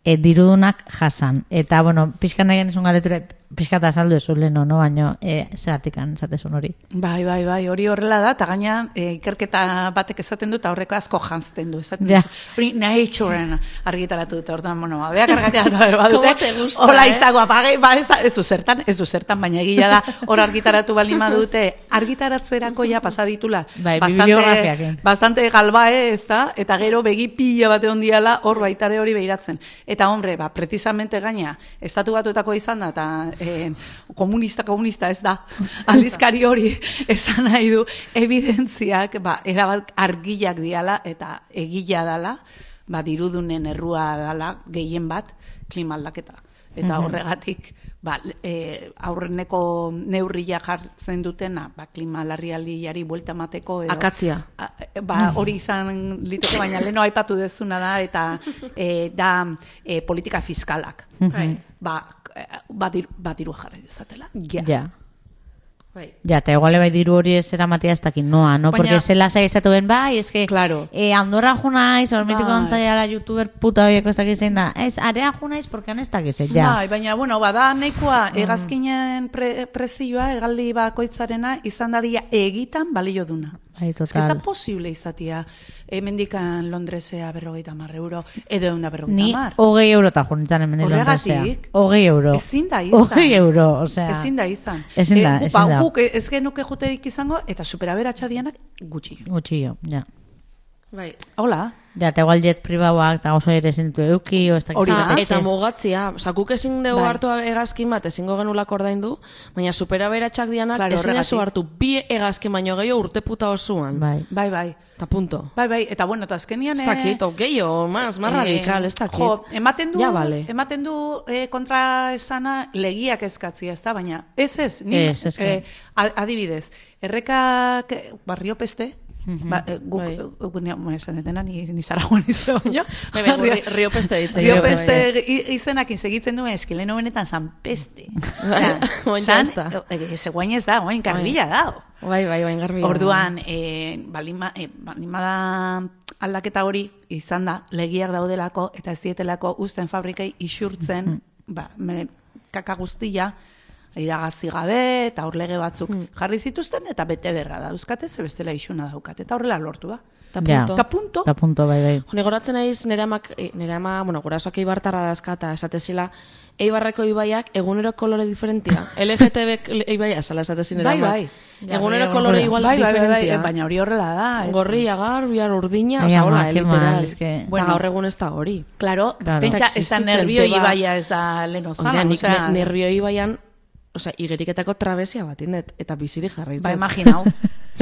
dirudunak jasan. Eta, bueno, pixkan nahi genizun galdetura, pixkata azaldu ez leno, no? Baina, zeratikan esatezun hori. Bai, hori horrela da, eta gaina ikerketa batek esaten du, eta horreko asko jantzten du, esaten du. Hori Naturen argitaratu dute, orduan, bueno, beak argitaratu badute, hola izagoa, ez du zertan, baina egila da, hor argitaratu baldin badute, argitaratzerako ja pasaditula, bastante galbae, ez da, eta gero begi pila bate ondiala, hor baitare hori behiratzen. Eta, hombre, precisamente gaina, estatu batuetako izan da, eta komunista ez da, aldizkari hori esan nahi du, evidentziak erabat argiak diala eta egila dala, dirudunen errua dala gehien bat klima aldaketa. Eta horregatik aurreneko neurria jartzen dutena klima larrialdiari buelta emateko akatzia. Hori izan liteke, baina leno aipatu dezuna da eta da politika fiskalak. Diru jarri dezatela. Ja. Ja, eta iguale bai diru hori ez eramatea ez dakin noa, no? Porque zela zaizatu ben bai, ez que Andorra junaiz, hormetiko ontzaiala youtuber puta horieko ez dakiz zein da, ez, area junaiz, porque han ez dakiz, ja. Bai, baina, bueno, bada nahikoa egazkinen prezioa, egaldi bakoitzarena, izan dadia egitan balio duna. Total. Ez da posible izatea, hemendikan Londresea 50 euro, edo 150. Ni 20 euro eta junitzen hemen Londresea. 20 euro. Ezin da izan. 20 euro, osea. Ezin da izan. Ezin da. Guk ez genuke juterik izango, eta superaberatsa dianak gutxi. Gutxi, ja. Bai. Hola. Ja, eta igual jet pribauak, eta oso ere zintu euki, o ez da eta mugatzia, guk ezin dugu hartu egazkin bat, ezingo genulak ordaindu, baina superaberatsak dianak ezin dugu hartu bi egazkin baino gehiago urte puta osoan. Bai. Eta punto. Bai, eta bueno, eta azkenian... Ez dakit, gehiago, más radikal, ez dakit. Jo, ematen du kontra esana legiak eskatzia, ez da, baina ez, adibidez, errekak barriopeste, Guk esan detena, ni Zaragoan izan, Rio Peste ditzen. Rio Peste izenakin segitzen duen, leheno benetan San Peste. Guain ez da, guain garbila da. Bai, guain garbila. Orduan, balimada aldaketa hori izan da, legiak daudelako eta ez dietelako uzten fabrikei isurtzen, kaka guztia, iragazi gabe eta hor lege batzuk jarri zituzten eta bete berra da. Euskate ze bestela isuna daukat eta horrela lortu da. Ta punto, bai. Goratzen naiz nire ama, gurasoak Eibartarra dazkata, esatezila, Eibarreko ibaiak egunero kolore diferentia. LGTB ibaia, esala esatezin nire ama. Bai. Egunero kolore igual diferentia. Baina hori horrela da. Gorria, garbiar, urdina, oza, hola, literal. Eta gaur egun ez da hori. Claro, pentsa, esan nervio ibaia ez da leno zama. Nervio ibaian, osea, igeriketako trabesia bat indet, eta biziri jarraitzen. Imaginau,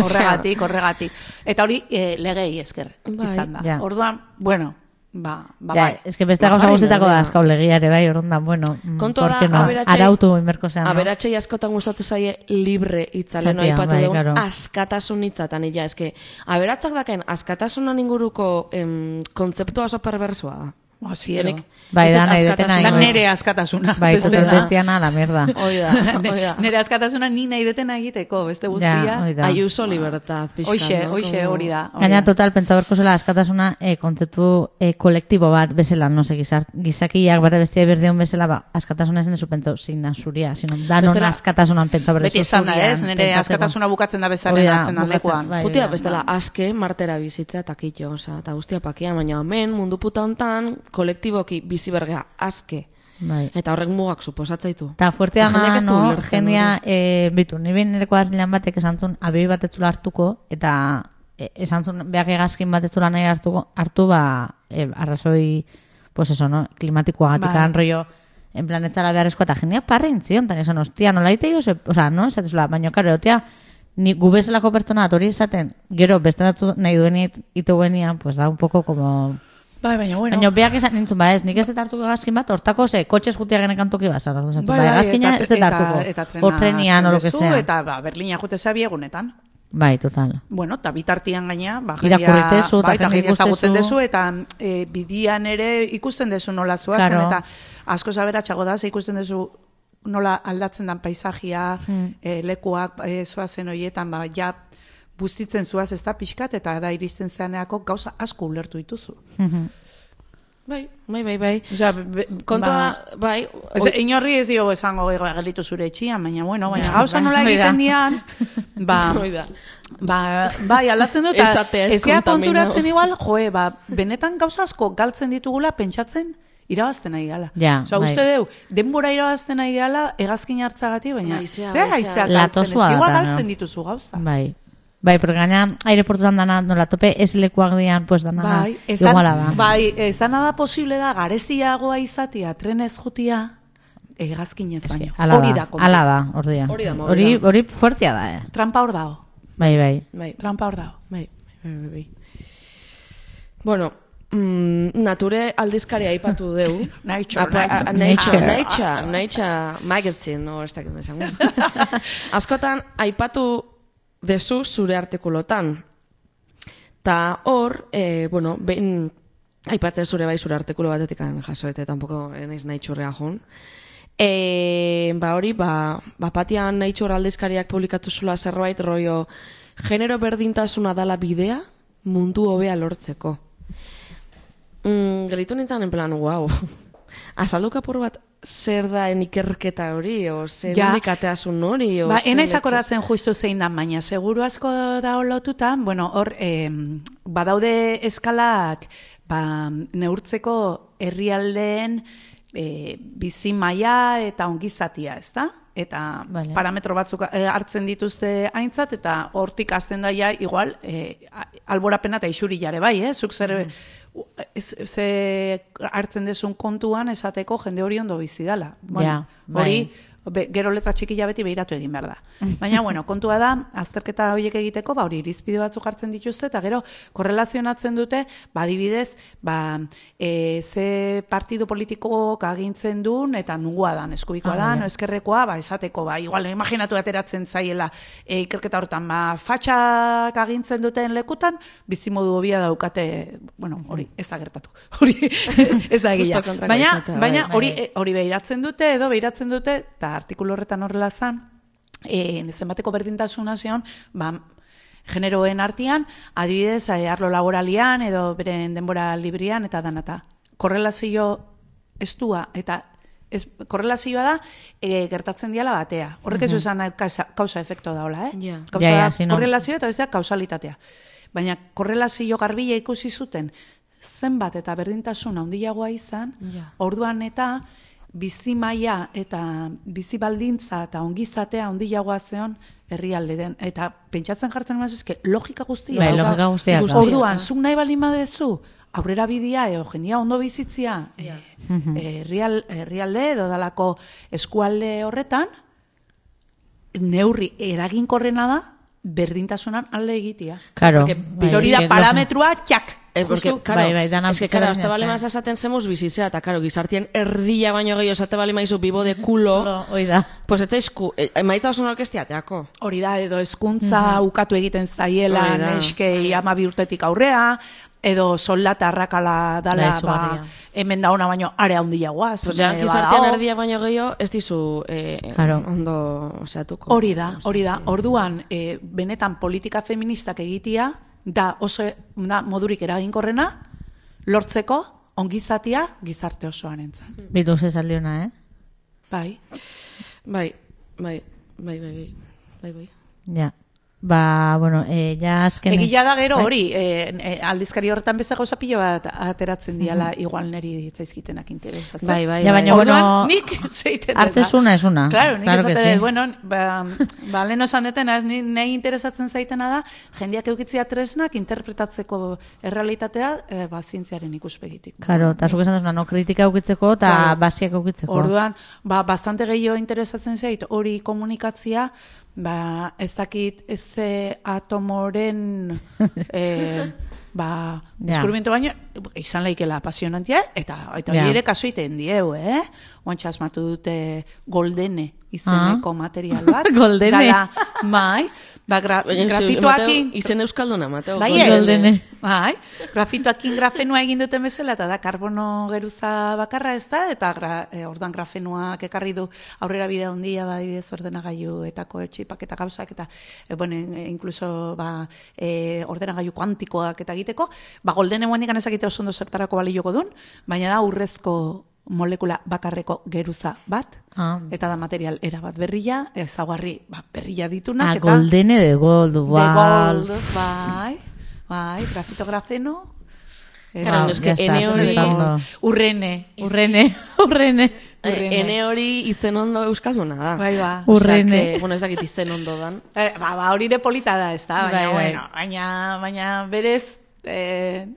horregatik. Eta hori legei esker izan da. Orduan, bueno, bai. Ez que beste gauza guztetako da askau legiare, bai, orduan, bueno, kontua da, arautu inberko zean. Aberatxei askotan gustatzen zaie libre hitzale, no aipatu dugu, askatasun hitzatan, ila, eske, aberatzak daken askatasunan inguruko kontzeptua oso perversoa da. Zienik. Bai, da, nahi detena. Da nere askatasuna. Bai, total bestiana, la merda. Oida. Nere askatasuna ni nahi detena egiteko, beste guztia. Aiuso libertad, pixka. Hoxe, hori da. Gaina, total, pentsa berko zela askatasuna kontzeptu kolektibo bat bezala, no se, gizakiak bate bestia berdeun bezala, askatasuna ezen dezu pentsau, zina zuria, sino danon askatasunan pentsa berdezu zuria. Beti esan da, ez? Nere askatasuna bukatzen da bezaren azten alekuan. Putia, bestela, aske, martera bizitza, takitxo, eta guztia pakia, baina hemen, mundu puta hontan, kolektiboki bizi bergea aske. Bai. Eta horrek mugak suposatzaitu. Eta fuerte dana, no, jendia, bitu, nire nireko argilean batek esantzun, abei bat etzula hartuko, eta esantzun, behak egazkin bat etzula nahi hartu, arrazoi, pues eso, no, klimatikoagatik rollo, en plan etzala beharrezkoa, eta jendia parrein zion, tan esan, hostia, nola ite jo, oza, no, esatezula, baina, karo, otia, ni gubezelako pertsona hori esaten, gero, beste datu nahi duen ituguenian, pues da un poco como... Baina, bueno. Baina, beak esan nintzun, nik ez detartuko egazkin bat, hortako kotxez jutia genekan toki bazar. Egazkina ez detartuko. O trenian, o lo que sea. Eta Berlina jute zabi egunetan. Bai, total. Bueno, eta bitartian gaina, irakurritezu, eta jendia ezagutzen dezu, eta bidian ere ikusten dezu nola zuazen, eta asko zaberatxago da, ikusten dezu nola aldatzen dan paisajia, lekuak zuazen horietan, ja, bustitzen zuaz ez da pixkat, eta ara iristen zeaneako gauza asko ulertu dituzu. Bai. Osea, kontua, bai. Inorri ez dio esango gelitu zure etxian, baina, bueno, gauza nola egiten dian, bai, aldatzen dut, ezkea konturatzen igual, benetan gauza asko galtzen ditugula pentsatzen irabazten nahi gala. Osa, uste deu, denbora irabazten nahi gala, egazkin hartzagati, baina ze haizea galtzen, ezkiua galtzen dituzu gauza. Bai, porque gaina aireportuan dana nola tope ez lekuak dian, pues dana iguala da. Bai, ez dana da posible da, gareziagoa izatia, trenez jutia, egazkinez baino. Hori da. Ala da, ordia. Hori fuertea da, Trampa hor dago. Bai. Trampa hor dago. Bai. Bueno, Nature aldizkaria aipatu deu. Nature magazine, no, ez dakit mesango. Askotan, aipatu dezu zure artikulotan. Ta hor, bueno, behin aipatzen zure bai zure artikulo batetik jasoete, tampoko naiz Nature joan. Hori, batian Nature aldizkariak publikatu zula zerbait, rollo, genero berdintasuna dala bidea mundu hobea lortzeko. Gelitu nintzen en plan, wow. Azaldu kapur bat zer da ikerketa hori, o zer indikateasun hori, o zer... Enaiz akoratzen justu zein da, baina seguru asko da lotuta, bueno, hor, badaude eskalak, neurtzeko herrialdeen bizi maila eta ongizatia, ez da? Eta parametro batzuk hartzen dituzte aintzat, eta hortik azten daia, igual, alborapena eta isuri jare bai, zuk zer... Ze hartzen dezun kontuan esateko jende hori ondo bizi dala. Hori gero letra txikila beti behiratu egin behar da. Baina, bueno, kontua da, azterketa horiek egiteko, hori irizpide batzuk jartzen dituzte, eta gero korrelazionatzen dute, adibidez, ze partidu politikoak agintzen duen, eta nungua dan, eskubikoa dan, eskerrekoa, esateko, igual, imaginatu ateratzen zaiela ikerketa horretan, fatxak agintzen duten lekutan, bizimodu hobia daukate, bueno, hori, ez da gertatu, hori, ez da egia. Baina, hori behiratzen dute, eta artikulu horretan horrela zan, zenbateko berdintasuna zion, generoen artean, adibidez, arlo laboralian, edo beren denbora librian, eta danata. Korrelazio estua, eta korrelazioa da, gertatzen diala batea. Horrek ez esan kausa-efekto daola, korrelazio eta bestea kausalitatea. Baina korrelazio garbila ikusi zuten, zenbat eta berdintasuna handiagoa izan, orduan eta bizi maila eta bizi baldintza eta ongizatea handiagoa zeon herrialde den. Eta pentsatzen jartzen emazizke, logika guztia. Orduan, zuk nahi baldin badezu, aurrera bidea, jendia ondo bizitzia, herrialde edo dalako eskualde horretan, neurri eraginkorrena da, berdintasunan alde egitea. Hori da parametrua, txak! Es que, claro, hasta vale más esaten zemuz bizitzea, eta, claro, gizartien erdia baino gehiago esate bale maizu bibo de culo, pues etzaizku, maitza oso orkestiateako. Hori da, edo hezkuntza ukatu egiten zaiela, neskei 12 urtetik aurrea, edo soldata arrakala dala, hemen da ona baino area handiagoa. Osea, gizartean erdia baino gehiago, ez dizu ondo osatuko. Hori da. Orduan, benetan politika feministak egitea, da oso modurik eraginkorrena, lortzeko ongizatia gizarte osoan entzat. Bitu zezaldi hona, Bai. Ja. Bueno, ja azken... Egia da gero hori, aldizkari horretan beste gauza pilo bat ateratzen diala igual neri ditzaizkitenak interesatzen. Bai. Ja, baina, bueno, nik zeiten artezuna es una. Claro, nik esate bueno, lehen osan detena, ez nahi interesatzen zaitena da, jendeak eukitzia tresnak interpretatzeko errealitatea zientziaren ikuspegitik. Claro, eta zuk esan duzuna, no kritika eukitzeko eta basiak eukitzeko. Orduan, bastante gehiago interesatzen zait, hori komunikatzia, ez dakit ez atomoren deskubrimiento baino izan laikela apasionantia eta hori ere kasu iten dieu, oantxa asmatu dute Goldene izeneko material bat. Goldene. Grafitoakin izen euskalduna mateo. Goldene. Grafitoakin grafenua egin duten bezala eta da karbono geruza bakarra ez da, eta ordan grafenuak ekarri du aurrera bidea handia badibidez ordenagailuetako txipak eta gauzak eta incluso ordenagailu kuantikoak eta egiteko, Goldene guandikan ezakite oso ondo zertarako balioko dun, baina da urrezko molekula bakarreko geruza bat, eta da material erabat berria, ezaugarri berria ditunak. Goldene de gold, bai, grafito grafeno. Claro, es que ene hori... Urrene. Ene hori izen ondo euskalduna da. Bai, urrene. Bueno, ez dakit izen ondo dan. Hori ere polita da, ez da, baina berez,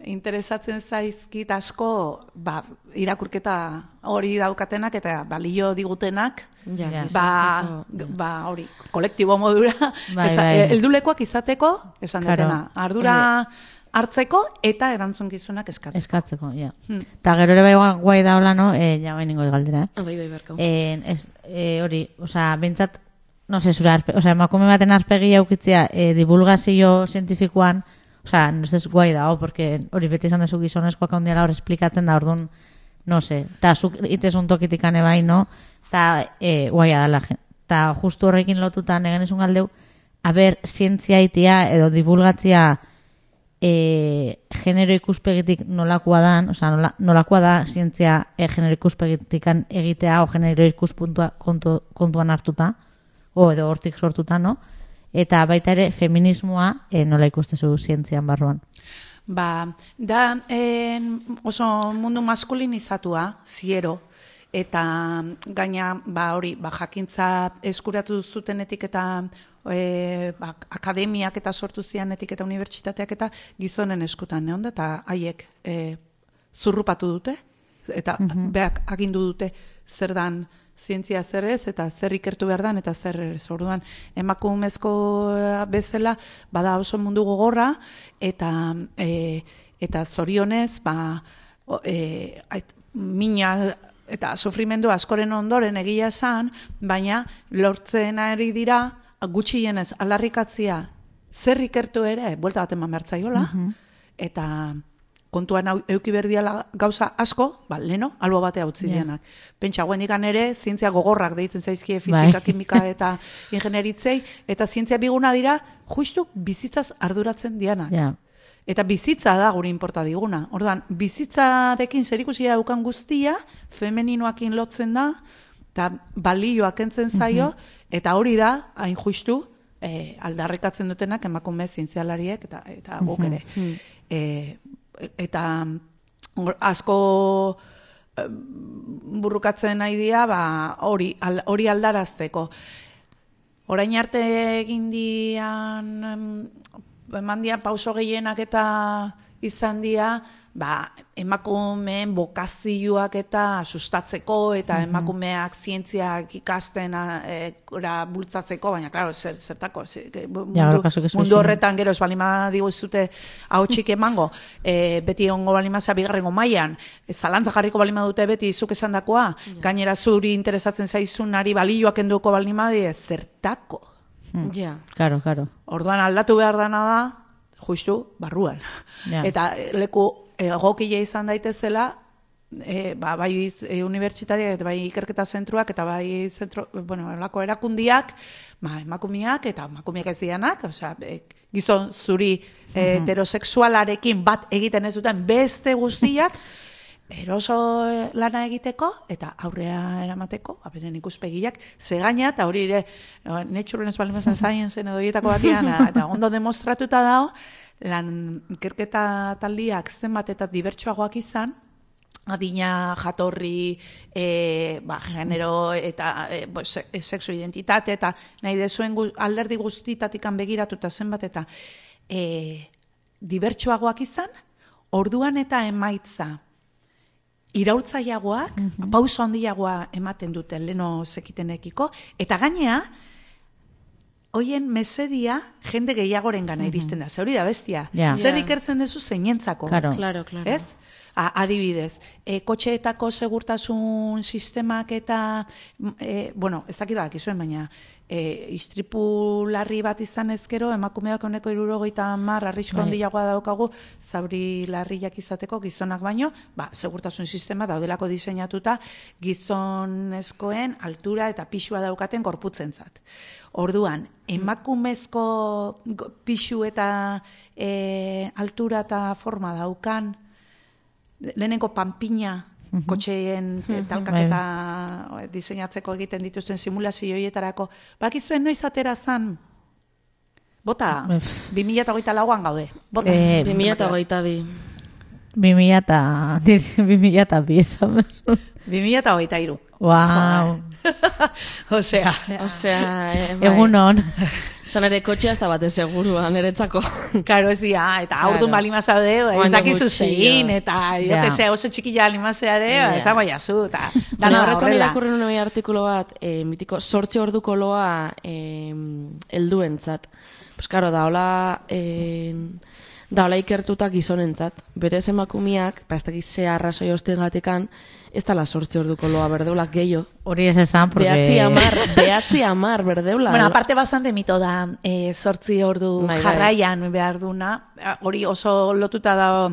interesatzen zaizkit asko irakurketa hori daukatenak eta balio digutenak hori kolektibo modura heldulekoak izateko esan detena ardura hartzeko eta erantzunkizunak eskatzeko, ja. Eta gero ere guai da hola, no? Ja, bain ningo galdera, Bai, barkau. Hori, oza, bintzat, no se, emakume baten arpegia aukitzea divulgazio zientifikoan, osea, no sé, guai da, porque hori beti izan dezu gizonezkoak handiala hor esplikatzen da, orduan, no sé, eta zuk itezun tokitikane bai, no? Eta guaia dala, eta justu horrekin lotutan egen izun galdeu, haber, zientzia itia edo divulgatzia genero ikuspegitik nolakoa dan, osea, nolakoa da zientzia genero ikuspegitikan egitea o genero ikuspuntua kontuan hartuta, o edo hortik sortuta, no? Eta baita ere feminismoa nola ikustezu zientzian barruan? Da oso mundu maskulinizatua, ziero, eta gaina hori jakintza eskuratu zutenetik eta akademiak eta sortu zianetik eta unibertsitateak eta gizonen eskutan neonda, eta haiek zurrupatu dute, eta beak agindu dute zer dan zientzia zer ez, eta zer ikertu behar dan, eta zer ez. Orduan, emakumezko bezala, bada oso mundu gogorra, eta zorionez, mina eta sufrimendu askoren ondoren egia esan, baina lortzen ari dira, gutxienez aldarrikatzia zer ikertu ere, buelta bat eman behar zaiola, eta kontuan euki berdiala gauza asko, leno, albo batea utzi dianak. Pentsa, guendikan ere, zientzia gogorrak deitzen zaizkie fizika, kimika eta ingenieritzei, eta zientzia biguna dira, justu bizitzaz arduratzen dianak. Eta bizitza da guri inporta diguna. Orduan, bizitzarekin zerikusia daukan guztia, femeninoakin lotzen da, eta balioak entzen zaio, eta hori da, hain justu, aldarrikatzen dutenak emakume zientzialariek, eta guk ere. Eta asko burrukatzen nahi dira, hori aldarazteko. Orain arte egin dian, eman dian pauso gehienak eta izan dira, emakumeen bokazioak eta sustatzeko, eta emakumeak zientziak ikasten bultzatzeko, baina, klaro, zertako, mundu horretan gero ez balima diguzute hau txik emango, beti ongo balima bigarrengo mailan, zalantza jarriko balima dute beti zuk esan dakoa, gainera zuri interesatzen zaizunari balioak enduko balima die, zertako. Claro. Orduan aldatu behar dana da, justu, barruan. Eta leku egokile izan daitezela, bai unibertsitariak, bai ikerketa zentruak, eta bai elako erakundiak, emakumeak eta emakumeak ez dianak, gizon zuri heterosexualarekin bat egiten ez duten beste guztiak, eroso lana egiteko eta aurrea eramateko, beren ikuspegiak, zegaina, eta hori ere, Nature ez balimazan Science-en edo hietako batian, eta ondo demostratuta dago, lan ikerketa taldiak zenbat eta dibertsuagoak izan, adina, jatorri, genero eta sexu identitate, eta nahi dezuen alderdi guztitatikan begiratuta zenbat eta dibertsuagoak izan, orduan eta emaitza iraultzaiagoak, pauso handiagoa ematen dute leno zekitenekiko, eta gainea, hoien mesedia jende gehiagoren gana iristen da. Hori da bestia. Zer ikertzen dezu zeinentzako. Claro. Ez? Adibidez, kotxeetako segurtasun sistemak eta, ez dakit badakizuen, baina istripu larri bat izan ezkero, emakumeak honeko 70 arrisko handiagoa daukagu, zauri larriak izateko gizonak baino, segurtasun sistema daudelako diseinatuta gizonezkoen altura eta pixua daukaten gorputzentzat. Orduan, emakumezko pixu eta altura eta forma daukan, lehenengo panpina kotxeen talkaketa diseinatzeko egiten dituzten simulazioietarako. Bakizuen noiz atera zan? Bota, 2024an gaude. Bota. 2022. 2023. Wow. Osea, egunon. Zan ere kotxea ez da bate segurua, niretzako. Karo ez dira, eta aurdun balima zaude, ez dakizu zein, eta oso txikila alimazeare, esango jazu, eta dana horreko irakurri nuen artikulo bat, mitiko 8 orduko loa helduentzat. Pues karo, daola ikertuta gizonentzat. Berez emakumiak, ez dakit ze arrazoi hostigatikan, ez dala 8 orduko loa berdeulak gehiago. Hori ez esan, porque... Behatzi amar berdeula. Bueno, aparte bastante mito da, 8 ordu jarraian behar duna, hori oso lotuta da,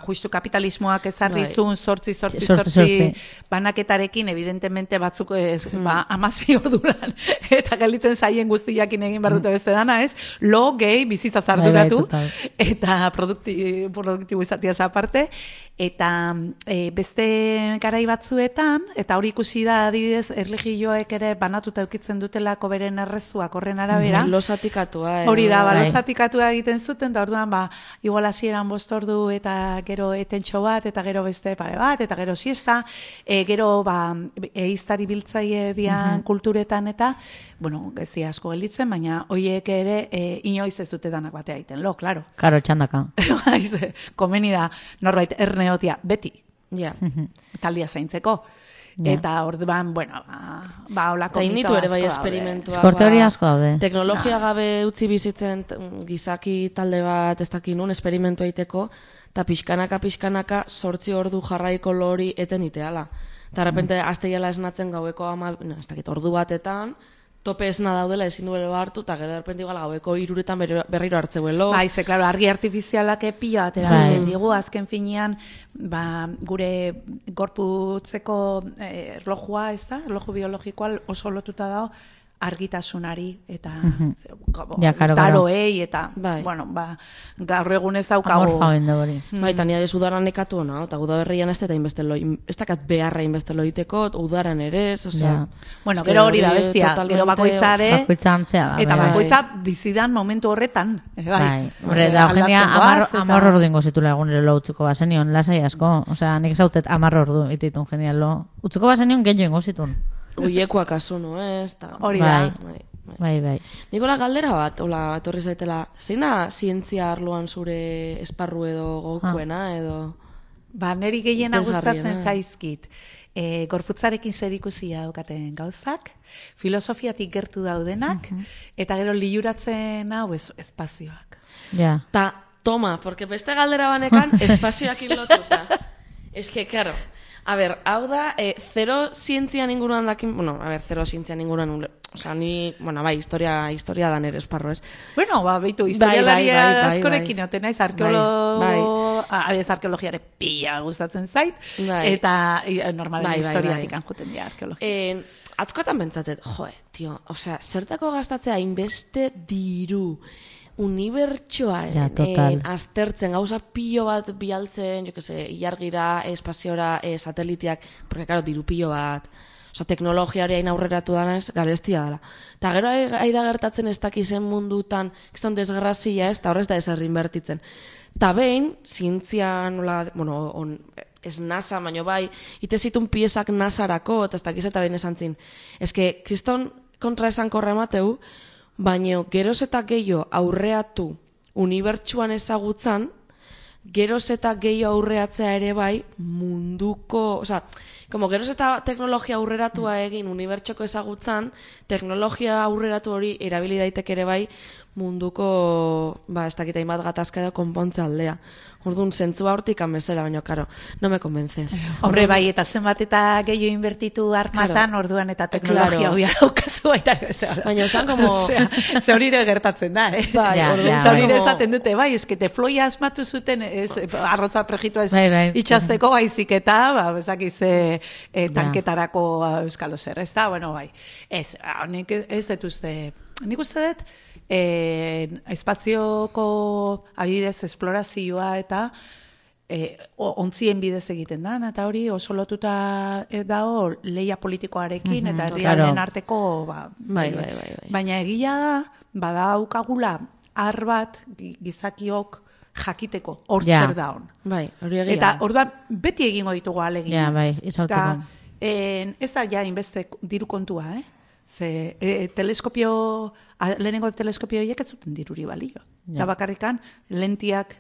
justu kapitalismoak ezarrizun, 8 banaketarekin, evidentemente batzuk 16 ordu lan, eta galitzen zaien guztiakin egin behar dute beste dana, ez? Lo, gehi, bizitzaz arduratu, eta produktibo izatiaz aparte, eta beste garai batzuetan, eta hori ikusi da adibidez erlijioek ere banatuta eukitzen dutelako beren errezuak horren arabera. Losatikatua. Hori da, losatikatua egiten zuten, eta orduan, igual hasieran 5 ordu eta gero etentxo bat, eta gero beste pare bat, eta gero siesta, gero eiztari biltzaile dian kulturetan eta, bueno, gezi asko gelditzen, baina hoiek ere inoiz ez dute danak batea egiten, claro. Claro, txandaka. Komeni da, norbait erneotia, beti. Taldia zaintzeko. Eta orduan, bueno, holako mito ere bai asko esperimentua. Esko teoria asko daude. Teknologia gabe utzi bizitzen gizaki talde bat ez dakit nun esperimentu egiteko, eta pixkanaka 8 ordu jarraiko lori eten iteala. Eta repente asteiala esnatzen gaueko ordu batetan, tope esna daudela ezin duelo hartu, eta gero repente igual gaueko 3 berriro hartzeuelo. Bai, ze, klaro, argi artifizialak pila bat erabiltzen digu, azken finean, gure gorputzeko erlojua, ez da? Erloju biologikoa oso lotuta dago argitasunari eta taroei eta, bueno, gaur egun ez daukagu. Amorfa bende hori. Bai, eta nire udaran nekatu hona, eta udaberrian ez dakat beharra inbeste loiteko, udaran ere, osea... Bueno, gero hori da bestia, gero bakoitzare... Bakoitzan zea da. Eta bakoitza bizidan momentu horretan. Bai, horre, da eugenia 10 ordu dingo zitula egunero lo utziko bazenion, lasai asko. Osea, nik zautzet 10 ordu ititun genial lo. Utziko bazenion genio ingo zitun. Uiekoak asu, no, ez? Hori da. Bai. Nikola galdera bat, etorri zaitela, zein da zientzia arloan zure esparru edo gokuena, edo... Neri gehiena gustatzen zaizkit. Gorputzarekin zerikusia daukaten gauzak, filosofiatik gertu daudenak, eta gero liuratzen hau espazioak. Ja. Ta, toma, porque beste galdera banekan espazioak lotuta. Ez que, claro... hau da, zero zientzian inguruan dakin, zero zientzian inguruan, osea, historia da nere esparro, ez? Bueno, beitu, historialaria askorekin oten naiz, arkeologiare pila gustatzen zait, eta normalen historiatik anjuten dira arkeologia. Atzkoetan bentsatet, tio, osea, zertako gastatzea hainbeste diru, unibertsoaren aztertzen, gauza pilo bat bialtzen, ilargira, espaziora, sateliteak, porque, claro, diru pilo bat, teknologiari hain aurreratu danez, garestia dela. Eta gero aida gertatzen ez dakizen mundutan, ez da desgrazia ez, eta horrez da ezer inbertitzen. Eta behin, zientzian, ez NASA, baino bai, ite zitun piezak NASarako, eta ez dakiz eta behin esan zin. Ez que, kriston kontra esan korra emateu, baina geroz eta gehiago aurreatu unibertsuan ezagutzan, geroz eta gehiago aurreatzea ere bai munduko, geroz eta teknologia aurreratua egin unibertsoko ezagutzan, teknologia aurreratu hori erabili daiteke ere bai munduko, ez dakit hainbat gatazka edo konpontze aldea. Orduan, zentzua hortik amezela, baina, karo, no me convence. Hombre, bai, eta zenbat eta gehiago inbertitu armatan, orduan eta teknologia hobia daukazu baita. Baina, esan, como... Ze hori ere gertatzen da, eh? Ze hori ere esaten dute, bai, eskete floia asmatu zuten, arrotza prejitua ez itxazteko, baizik eta, bezakiz, tanketarako euskalo zer, ez da, bueno, bai. Ez detuzte, nik uste dut, espazioko adibidez esplorazioa eta ontzien bidez egiten da, eta hori oso lotuta dago leia politikoarekin eta herrialden arteko baina egia da, badaukagula har bat gizakiok jakiteko hor zer da hon. Eta orduan beti egingo ditugu ahalegina. Ez da ja inbeste diru kontua, Ze lehenengo teleskopio horiek ez zuten diruri balio. Eta bakarrikan lentiak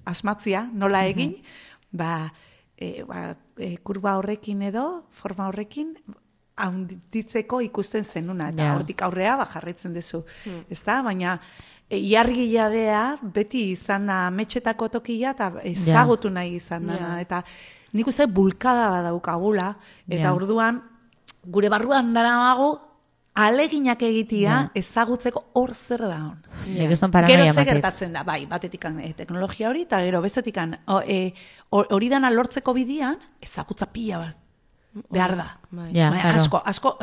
asmatzia nola egin, kurba horrekin edo, forma horrekin, handitzeko ikusten zenuna. Eta hortik aurrea jarraitzen duzu. Ezta? Baina iargiladea beti izan da metxetako tokia eta ezagutu nahi izan da. Eta nik uste bulkada badaukagula, eta orduan gure barruan daramagu aleginak egitea ezagutzeko hor zer da hon. Gero ze gertatzen da, bai, batetikan teknologia hori, eta gero bestetikan hori dana lortzeko bidian ezagutza pila bat behar da. Asko,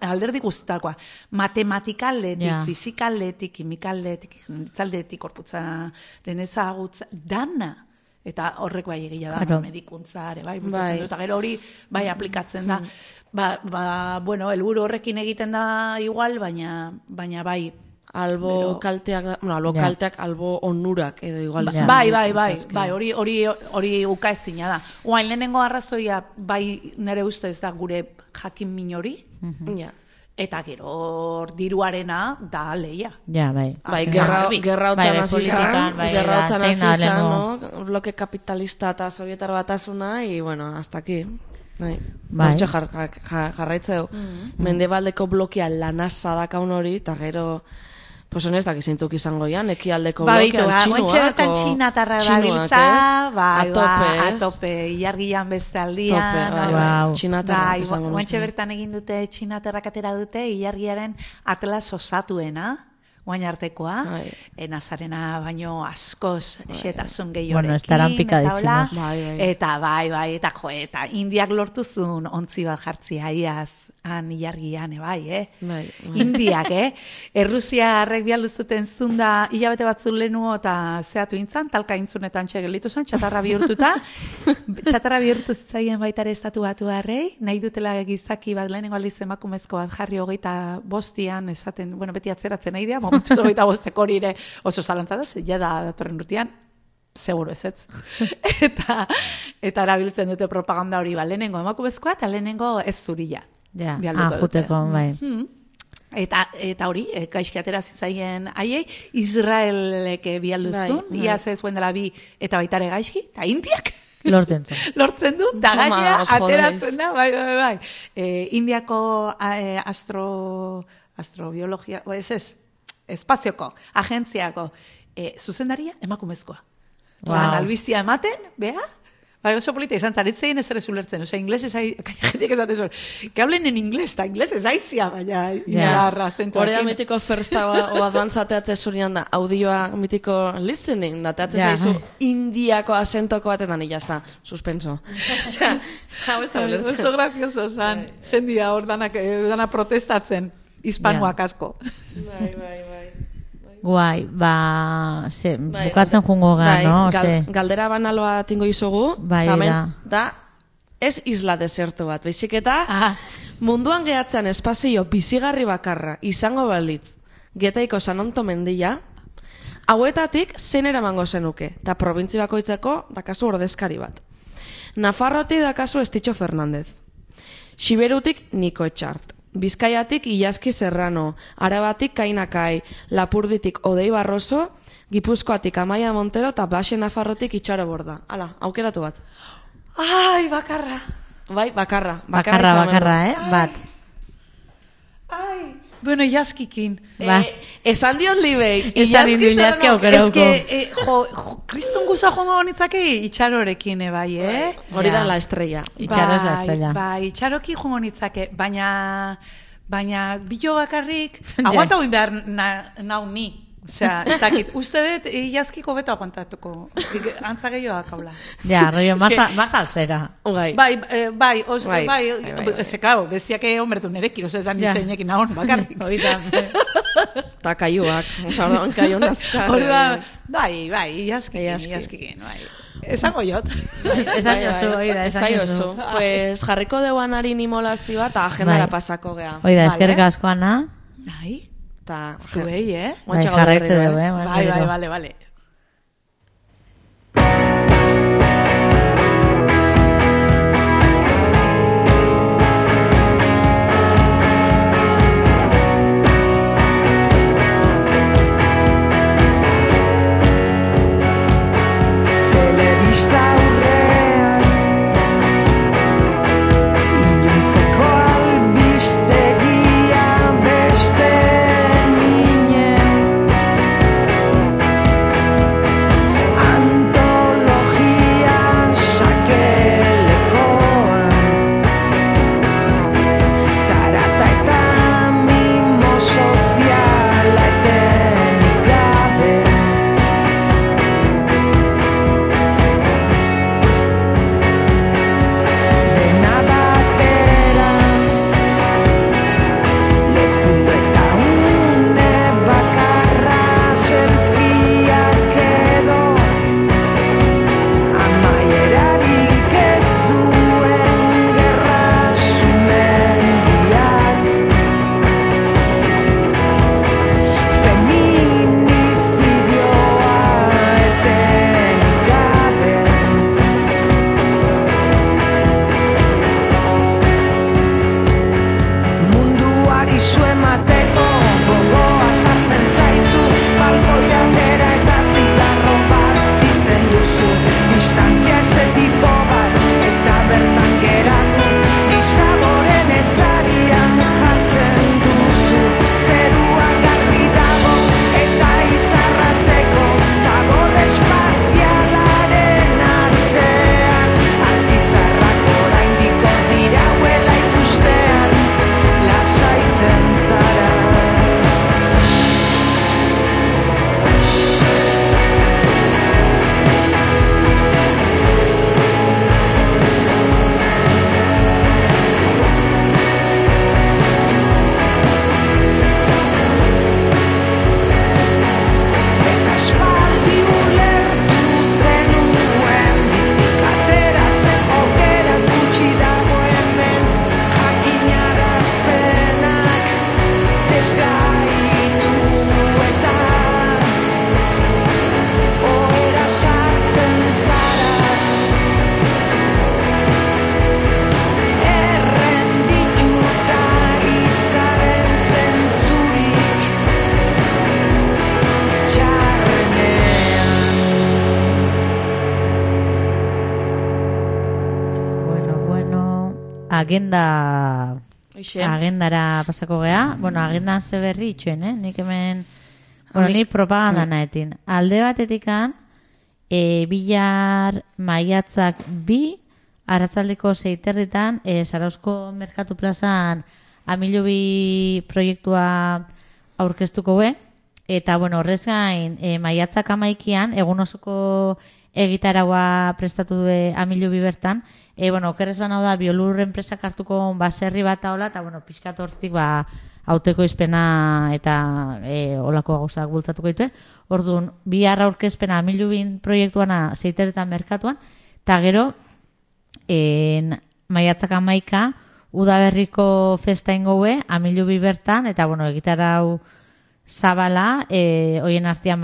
alderdi guztetakoa. Matematikaldetik, fizikaldetik, kimikaldetik, itzaldetik, korputzaren ezagutza, dana. Eta horrek bai egia da, medikuntza, bai, eta gero hori bai aplikatzen da. Helburu horrekin egiten da igual, baina bai. Albo kalteak, albo onurak edo igual. Bai, hori uka ezina da. Oain lehenengo arrazoia, bai nire ustez da gure jakin min hori, eta gero diruarena da leia. Bai, gerra hotzan hasi izan, bloke kapitalista eta sovietar batasuna, y bueno, hasta aquí. Hortxe jarraitze du. Mendebaldeko blokia lanasa dakaun hori, eta gero... Pues honestak izintzuk izango ian, ekialdeko blokean txinuak. Ointxe bertan txinatarra dabiltza, atope, ilargian beste aldian. Txinatarra izango nuke. Ointxe bertan egin dute txinatarrak atera dute, ilargiaren atlas osatuena, guain artekoa, Nazarena baino askoz xetasun gehiorekin, eta Indiak lortuzun ontzi bat jartzia iaz, han ilargian, Indiak, Errusiarrek bialduzuten zunda hilabete batzu lehenuo eta zehatu intzan, talka intzunetan txegelitu zen, txatarra bihurtuta, txatarra bihurtu zitzaien baitare estatu batu harrei, nahi dutela gizaki bat lehenengo aldiz emakumezko bat jarri 25 esaten, beti atzeratzen nahi dira, momentu 25 hori ere oso zalantza da, ja da datorren urtean, seguro ez. eta erabiltzen dute propaganda hori, lehenengo emakumezkoa eta lehenengo ez zurila. Ja, juteko, bai. Eta hori, gaizki atera zitzaien haiei, Israelek bialduzun, iaz ez zuen dela bi eta baitare gaizki, eta Indiak lortzen du, eta gainea ateratzen da, bai. Indiako astrobiologia, espazioko, agentziako zuzendaria emakumezkoa. Albiztia ematen, beha, bai, oso polita izan zaretzen ez ere zulertzen. Inglesez, jentik esaten zuen, que hablen en inglés, eta inglesez aizia, baina indarra zentuakin. Hore da mitiko first o advance ateatzen zurian da, audioa mitiko listening, da teatzen zaizu indiako asentoko batetan, ya está, suspenso. Osea, hau ez da ulertzen. Oso gracioso zan, jendia hor dana protestatzen, hispanoak asko. Bai. Guai, bukatzen jungo no? Galdera banaloa tingo izugu, da ez isla deserto bat, baizik eta munduan gehatzean espazio bizigarri bakarra izango balitz, Getaiko San Anto mendia, hauetatik zein eramango zenuke, eta probintzi bakoitzeko dakazu ordezkari bat. Nafarrotik dakazu Estitxo Fernandez, Xiberutik Niko Etxart, Bizkaiatik Ilaski Serrano, Arabatik Kainakai, Lapurditik Odei Barroso, Gipuzkoatik Amaia Montero eta Baxe Nafarrotik Itxaro Borda. Hala, aukeratu bat. Ai, bakarra. Bai, bakarra. Bat. Ai, bueno, Ilaskikin. Esan diot libei. Ilaski aukerauko. Ez kriston guza jongo nitzake Itxarorekin, bai, Hori da la estrella. Itxaro ez la estrella. Bai, Itxaroki jongo nitzake, baina bilo bakarrik, aguanta hoin behar nau ni. Osea, ez dakit, uste dut Ilaskiko beto aguantatuko, antza gehiagoak haula. Ja, rollo, más alzera. Bai, zekao, bestiak honbertu nerekin, ez da nizeinekin nahon, bakarrik. Eta kaiuak, kaiu nazka. Bai, Ilaskikin, bai. Esango jot. Esan jozu. Pues jarriko deuan harin imolazio bat, eta agendara pasako gea. Oida, eskerrik asko, Ana. Bai. Ta zuei, Bai, jarraitze dugu, Bai. Telebista aurrean iluntzeko albistegia beste agendara pasako gea. Bueno, agendan ze berri itxuen, nik hemen, ni propaganda naetin. Alde batetikan, bihar maiatzak 2, arratsaldeko 6:30, Zarauzko Merkatu Plazan Amilobi proiektua aurkeztuko be, eta bueno, horrez gain, maiatzak 11 egun osoko egitaraua prestatu du Amilobi bertan. Bueno, okerrez ban hau da, Biolur enpresak hartuko baserri bat hola, eta bueno, pixkat hortik hauteko izpena eta olako gauzak bultzatuko ditu. Orduan, bihar aurkezpena Amilubin proiektuana 6:30 merkatuan, eta gero, maiatzak 11 udaberriko festa ingoue, Amilubi bertan, eta bueno, egitarau zabala, hoien artean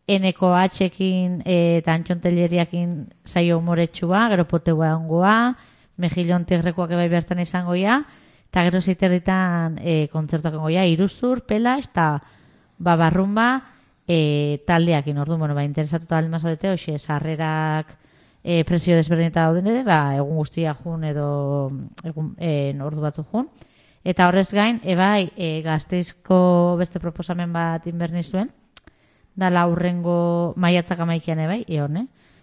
NKH-ekin eta Antxontelleriakin saio humoretsua, gero Poteua ongoa, Mejillon Tigrekoak ebai bertan izango ia, eta gero 6:30 kontzertuak ongoia, Iruzur, Pelax, eta Barrumba taldeakin, orduan, bueno, interesatuta alma zaudete, hoxe, sarrerak presio desberdineta dauden egun guztia jun edo ordu batzu jun. Eta horrez gain, Gasteizko beste proposamen bat inberni zuen, dala hurrengo maiatzak 11 ebai,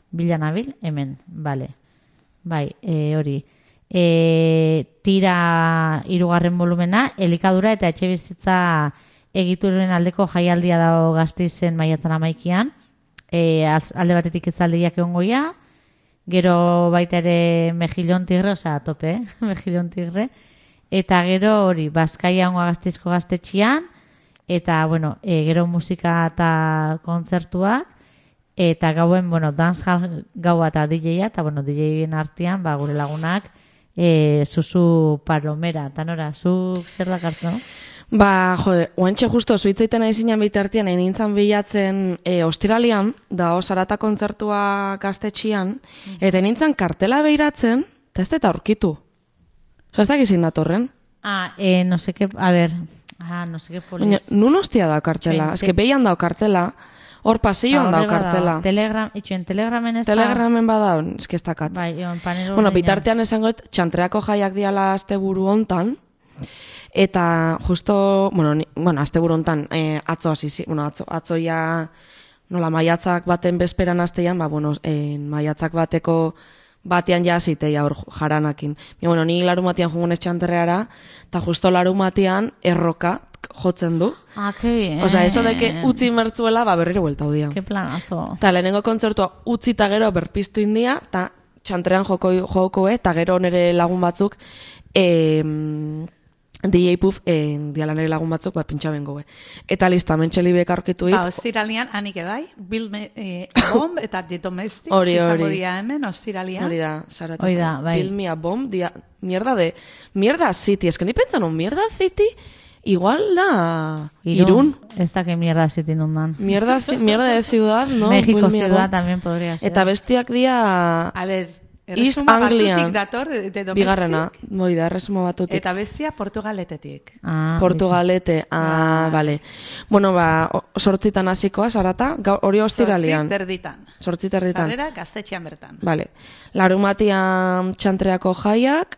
bilanabil, hemen, bale. Bai, hori. Tira 3. volumena, elikadura eta etxebizitza egituren aldeko jaialdia dago Gasteizen maiatzan 11. Alde batetik izaldiak egongoia, gero baita ere Mejillon Tigre, tope, Mejillon Tigre, eta gero hori, Bazkaia ongoa Gasteizko gaztetxian, eta, bueno, gero musika eta kontzertuak, eta gauen, bueno, dancehall gaua eta DJ-a, eta, bueno, DJ-en artean, gure lagunak, Susu Palomera, eta nora, zuk zer dakartu, no? Oantxe justo, zuitzeiten aizinan bitartian, nintzen bilatzen ostiralian, da Sarata kontzertua gaztetxian, eta nintzen kartela behiratzen, eta ez da aurkitu. Ez da gizin datorren? No sé qué, a ver, no sé qué polis. Nun hostia da kartela, ez que behian da kartela, hor pasilloan da kartela. Telegramen ez da? Telegramen bada, ez que ez dakat. Bueno, bitartean esangoet, txantreako jaiak diala asteburu hontan, eta justo, asteburu hontan, atzo ja, nola, maiatzak baten bezperan astean, maiatzak bateko batean ja ziteia hor jaranakin. Ni larumatian jungunez txanterreara, eta justo larumatian erroka jotzen du. Que bien. Osa, eso de que utzi mertzuela, berriro buelta hudia. Que planazo. Eta lehenengo kontzertua utzi eta gero berpiztu india, eta txantrean joko, eta gero nire lagun batzuk, DJ Puff, diala nire lagun batzuk, pintxa bengo. Eta lista, mentxelibek aurkitu hit. Ostiralian, anik ebai, Bomb eta The Domestics, izango dia hemen, ostiralian. Hori da, Sarata Bill Me a Bomb, mierda City, es que ni pentsan mierda City, igual da Irún. Ez da que mierda City nundan. Mierda de ciudad, ¿no? México ciudad también podría ser. Eta bestiak dia... A ver... East Anglian, dator, de Domestic. Bigarrena, da, erresuma batutik. Eta bestia Portugaletetik. Portugalete, bale. Bueno, sortzitan hasikoa, Sarata, hori ostiralian. Sortzi terditan. Sarrera, gaztetxean bertan. Bale. Larumatian txantreako jaiak,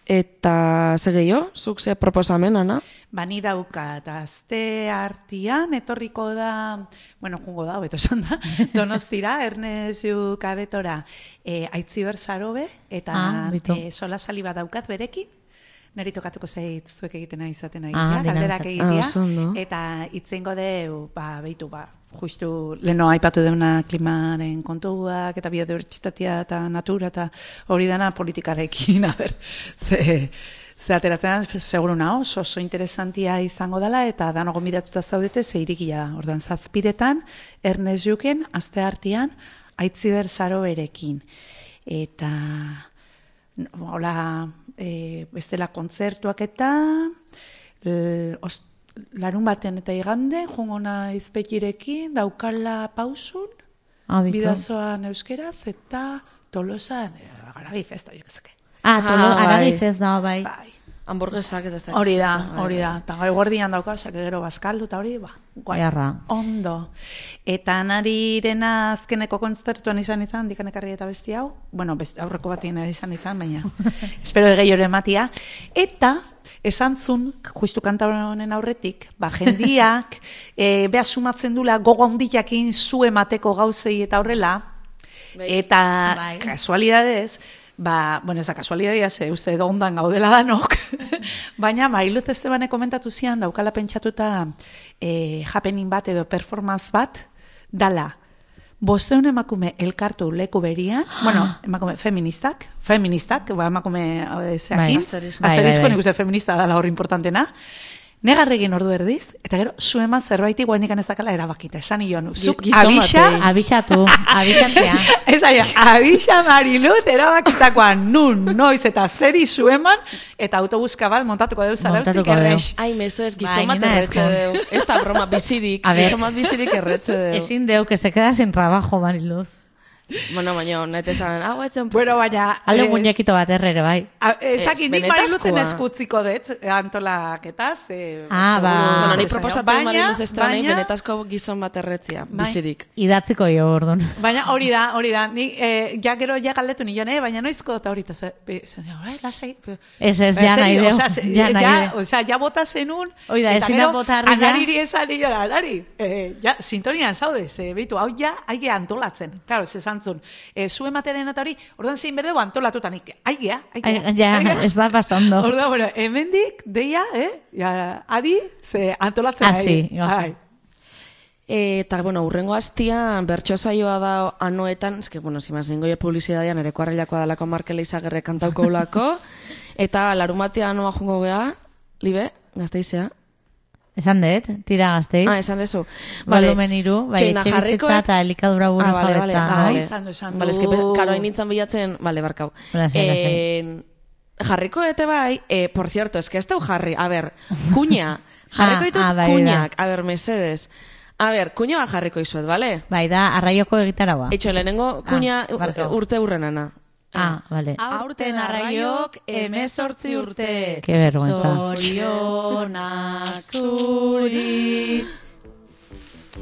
eta segeio, zuk ze proposamen, Ana? Ni daukat, azte artian, etorriko da, jungo da, beto esan da, Donostira, Ernestu Karetora, Aitziber Sarobe, eta sola sali bat daukat berekin, niri tokatuko zeit zuek egiten izaten galderak egitea, eta itzengo deu, behitu, justu leno aipatu deuna klimaren kontuak, eta biodibertsitatea eta natura, eta hori dana politikarekin, ze ateratzen, seguru naho, oso interesantia izango dela, eta dano gomidatuta zaudete, ze irikia, ordan 7:00 Ernest Juken, aste artean, Aitziber Saroberekin. Eta, hola, bestela kontzertuak eta, larun baten eta igande, jungona izpekirekin, daukala pausun, bidazoan euskeraz, eta Tolosan, Aragi Festa, jo kezake. Aragi Festa, bai. hamburguesak eta ez da. Hori da. Eta gai guardian dauka, osake gero bazkaldu eta hori, guai. Ondo. Eta Narirena azkeneko kontzertuan izan, dikanekarri eta besti hau. Bueno, aurreko batien izan, baina espero gehiore ematia. Eta esan zun, justu kanta honen aurretik, jendiak, beha sumatzen dula gogo handiakin zu emateko gauzei eta horrela, eta kasualidadez, bueno, ez da kasualidadea, uste edo ondan gaudela danok, baina Mariluz Estebane komentatu zian, daukala pentsatuta happening bat edo performance bat, dala, 500 emakume elkartu leku berian, bueno, emakume feministak, emakume zeakin, asterizko nik uste feminista dala hor importantena, negarregin ordu erdiz, eta gero, zu eman zerbaiti guainikan ezakala erabakita, esan ion, zuk abixatzea. Ez aia, abixa Mariluz erabakitakoan noiz eta zeri zu eman, eta autobuska bat montatuko deu zara eustik errex. Ai, mesedez, gizon bat erretze deu. Ez da broma, bizirik, gizon bat bizirik erretze deu. Ezin deu, que se queda sin trabajo, Mariluz. Bueno, baina, nete esan, etzen... Bueno, baina... Alde muñekito bat errere, bai. Ezakit, nik Mariluzen eskutziko dut, antolaketaz. Bueno, ni proposatzen Mariluz Estebanei benetazko gizon bat erretzia, bizirik. Idatziko jo, orduan. Baina hori da, nik ja gero ja galdetu nion, baina noizko eta hori, lasai... Ez, ja nahi deu. Osea, ja bota zenun, eta gero, Anariri esan nion, Anari, sintonian zaude, behitu, hau ja, aige antolatzen, klaro, zezan zu ematearen eta hori, orduan zein berdeu antolatutanik. Aigea. Ja, ez da pasando. Orduan, bueno, hemendik, deia, adi, ze antolatzen nahi. Eta, bueno, urrengo hastian, bertso saioa da anoetan, eske, bueno, zimaz, ningoia publizidadian, ere kuarrilakoa dalako Markele Izagirre kantauko ulako, eta larumatia anoa jungo gea, Libe, Gasteizea. Esan dut, tira Gasteiz. Esan dezu. Volumen 3, bai, etxe bizitza eta elikadura buru jabetza. Esan du. Bale, eski, karo hain nintzen bilatzen, bale, barkau. Jarriko ete bai, por cierto, eski ez deu jarri, a ber, kuña, jarriko ditut kuñak, a ber, mesedes. A ber, kuña bat jarriko izuet, bale? Bai, da, arraioko egitaragoa. Etxo, lehenengo kuña urte urrenana. Vale. Aurten arraiok 18 urte. Qué vergüenza. Zorionak zuri.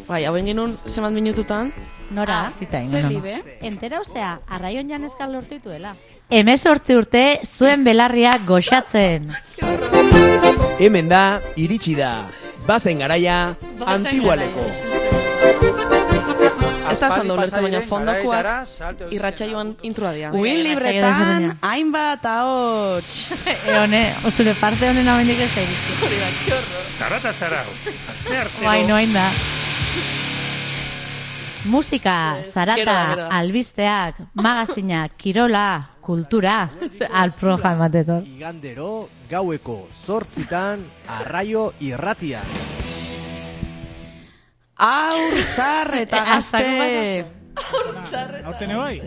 Bai, hauen genuen zemat minututan. Nora? Zelibe. Entera, osea, arraion janezkan lortu dituela. 18 urte zuen belarria goxatzen. Hemen da, iritsi da. Bazen garaia, Antigualeko. Ez da esan ulertzen, baina fondokoak irratsaioan introa dira. Uin libretan, hainbat ahots. Zure parte honen amendik ez da iritsi. Hori da, kiorro. Zarata zarau, azte artero. Bai, noain da. Musika, zarata, albisteak, magazinak, kirola, kultura, alproja ematetor. Igandero, gaueko 8:00 Arraio Irratian. Aur eta gazte. Aurten bai?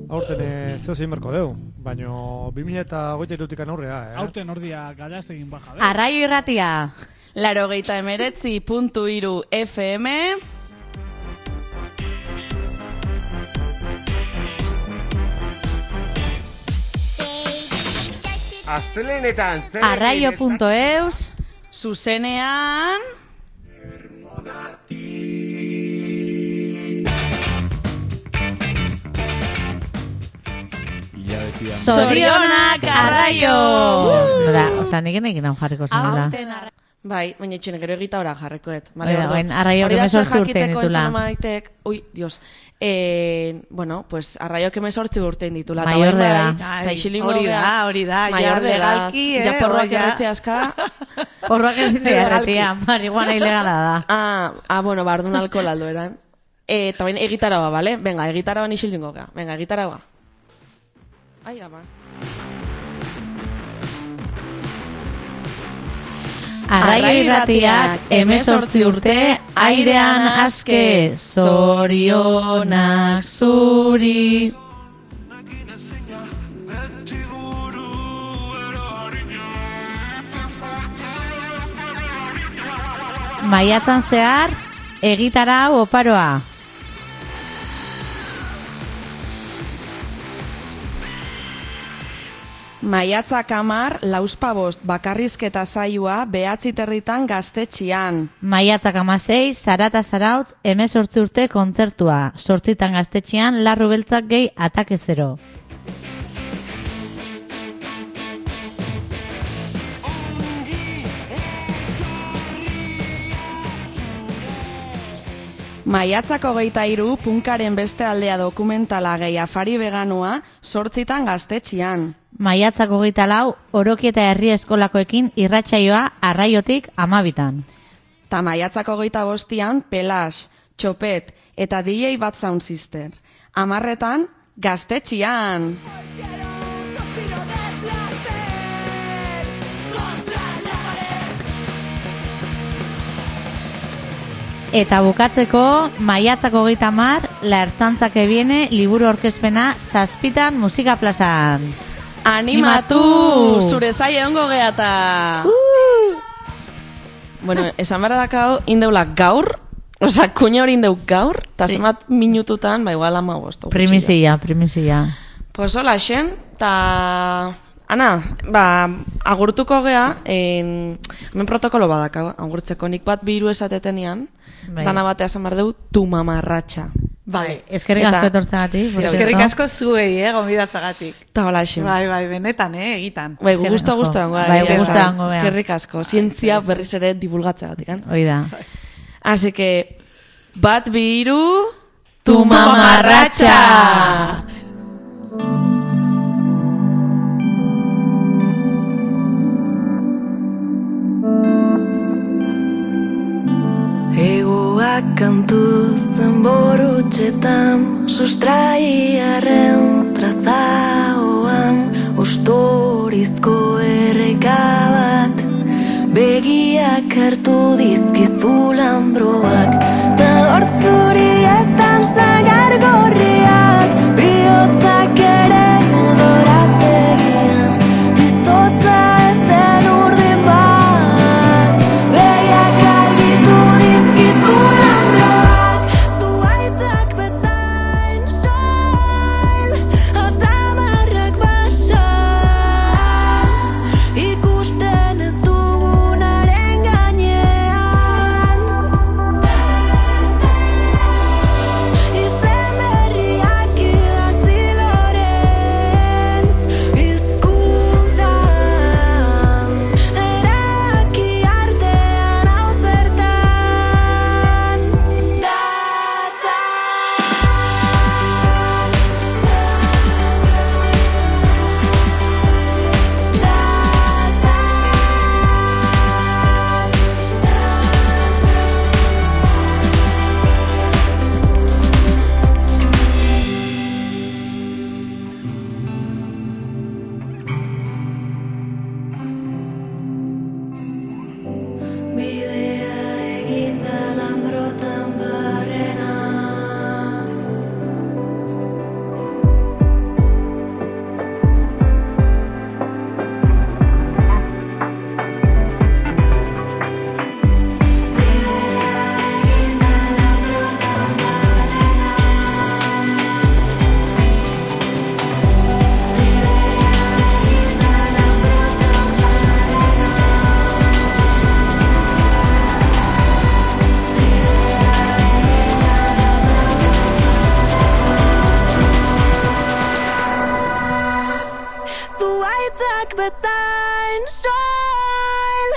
Aurten zeu zein berko deu, baina 2023 aurrea, Aurten ordia galaztegin baja. Arraio Irratia. 89.3 FM. Astelenetan Arraio.eus. Zuzenean. Zorionak arraio! Osa, nik egin hau jarriko zenula. Bai, baina etxene gero egita ora jarrekoet. Arraio que me sortzi urtein ditula. Ui, Dios. Bueno, pues arraio que me sortzi urtein ditula. Mayor de edad. Hori da. Mayor de edad. Ja porroak erretxe aska. Porroak ezin dira erretia. Marihuana ilegala da. Bueno, bardun alkohol aldo eran. Eta bain egitaraba, bale? Venga, egitaraba nixil dingo gea. Venga, egitaraba. Ai, ama. Arraio Irratiak 18 urte airean aske. Zorionak zuri. Maiatzan zehar egitarau oparoa. Maiatzak 10, 5:05 bakarrizketa saioa 9:30 Gaztetxean. Maiatzak 16, Zarata Zarautz, 18 urte kontzertua. 8 Gaztetxean, Larru Beltzak gehi Atake Zero. Maiatzak 23, Punkaren beste aldea dokumentala gehi afari veganoa 8 Gaztetxean. Maiatzak 24, Orokieta Herri Eskolakoekin irratsaioa Arraiotik 12. Ta maiatzak 25, Pelas, Txopet eta DJ Bad Sound Sister. 10 Gaztetxean. Eta bukatzeko, maiatzak 30, La Ertzaintza que viene, liburu aurkezpena 7 Musika Plazan. Animatu! Zure zai egongo geata! Bueno, esan behar dakau, indeula gaur, kuña hori indeu gaur, eta zemat minututan, igual 15. Primizia. Pues hola, xen, eta... Ana, agurtuko gea, hemen protokolo badakau, agurtzeko nik bat biru esatetenian, dana batea esan behar dugu, tu mamarratxa. Bai, eskerrik asko etortzagatik. Eskerrik asko zuei, gonbidatzagatik. Ta hola, xen. Bai, benetan, egitan. Bai, gusto dago. Bai, gusto dago. Eskerrik asko, zientzia berriz ere divulgatzagatik. Hoi da. Así que, bat biru, tu mamarratxa! Egoak kantu zenborutxetan, sustraiaren trazaoan, ustorizko erreka bat, begiak hartu dizkizu lambroak, ta hortzurietan sagar gorriak, bihotzak ere eldorategian, izotza ez den urdin bat, begiak argitu dizkizu lambroak, zuaitzak bezain soil, atzamarrak basan, ikusten ez dugunaren gainean, izen berriak idatzi loren, hizkuntzan, eraki artean hau zertan, datza. Bidea eginda lambrotan barrena, zuaitzak bezain soil,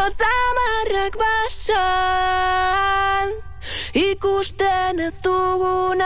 atzamarrak basan, ikusten ez dugun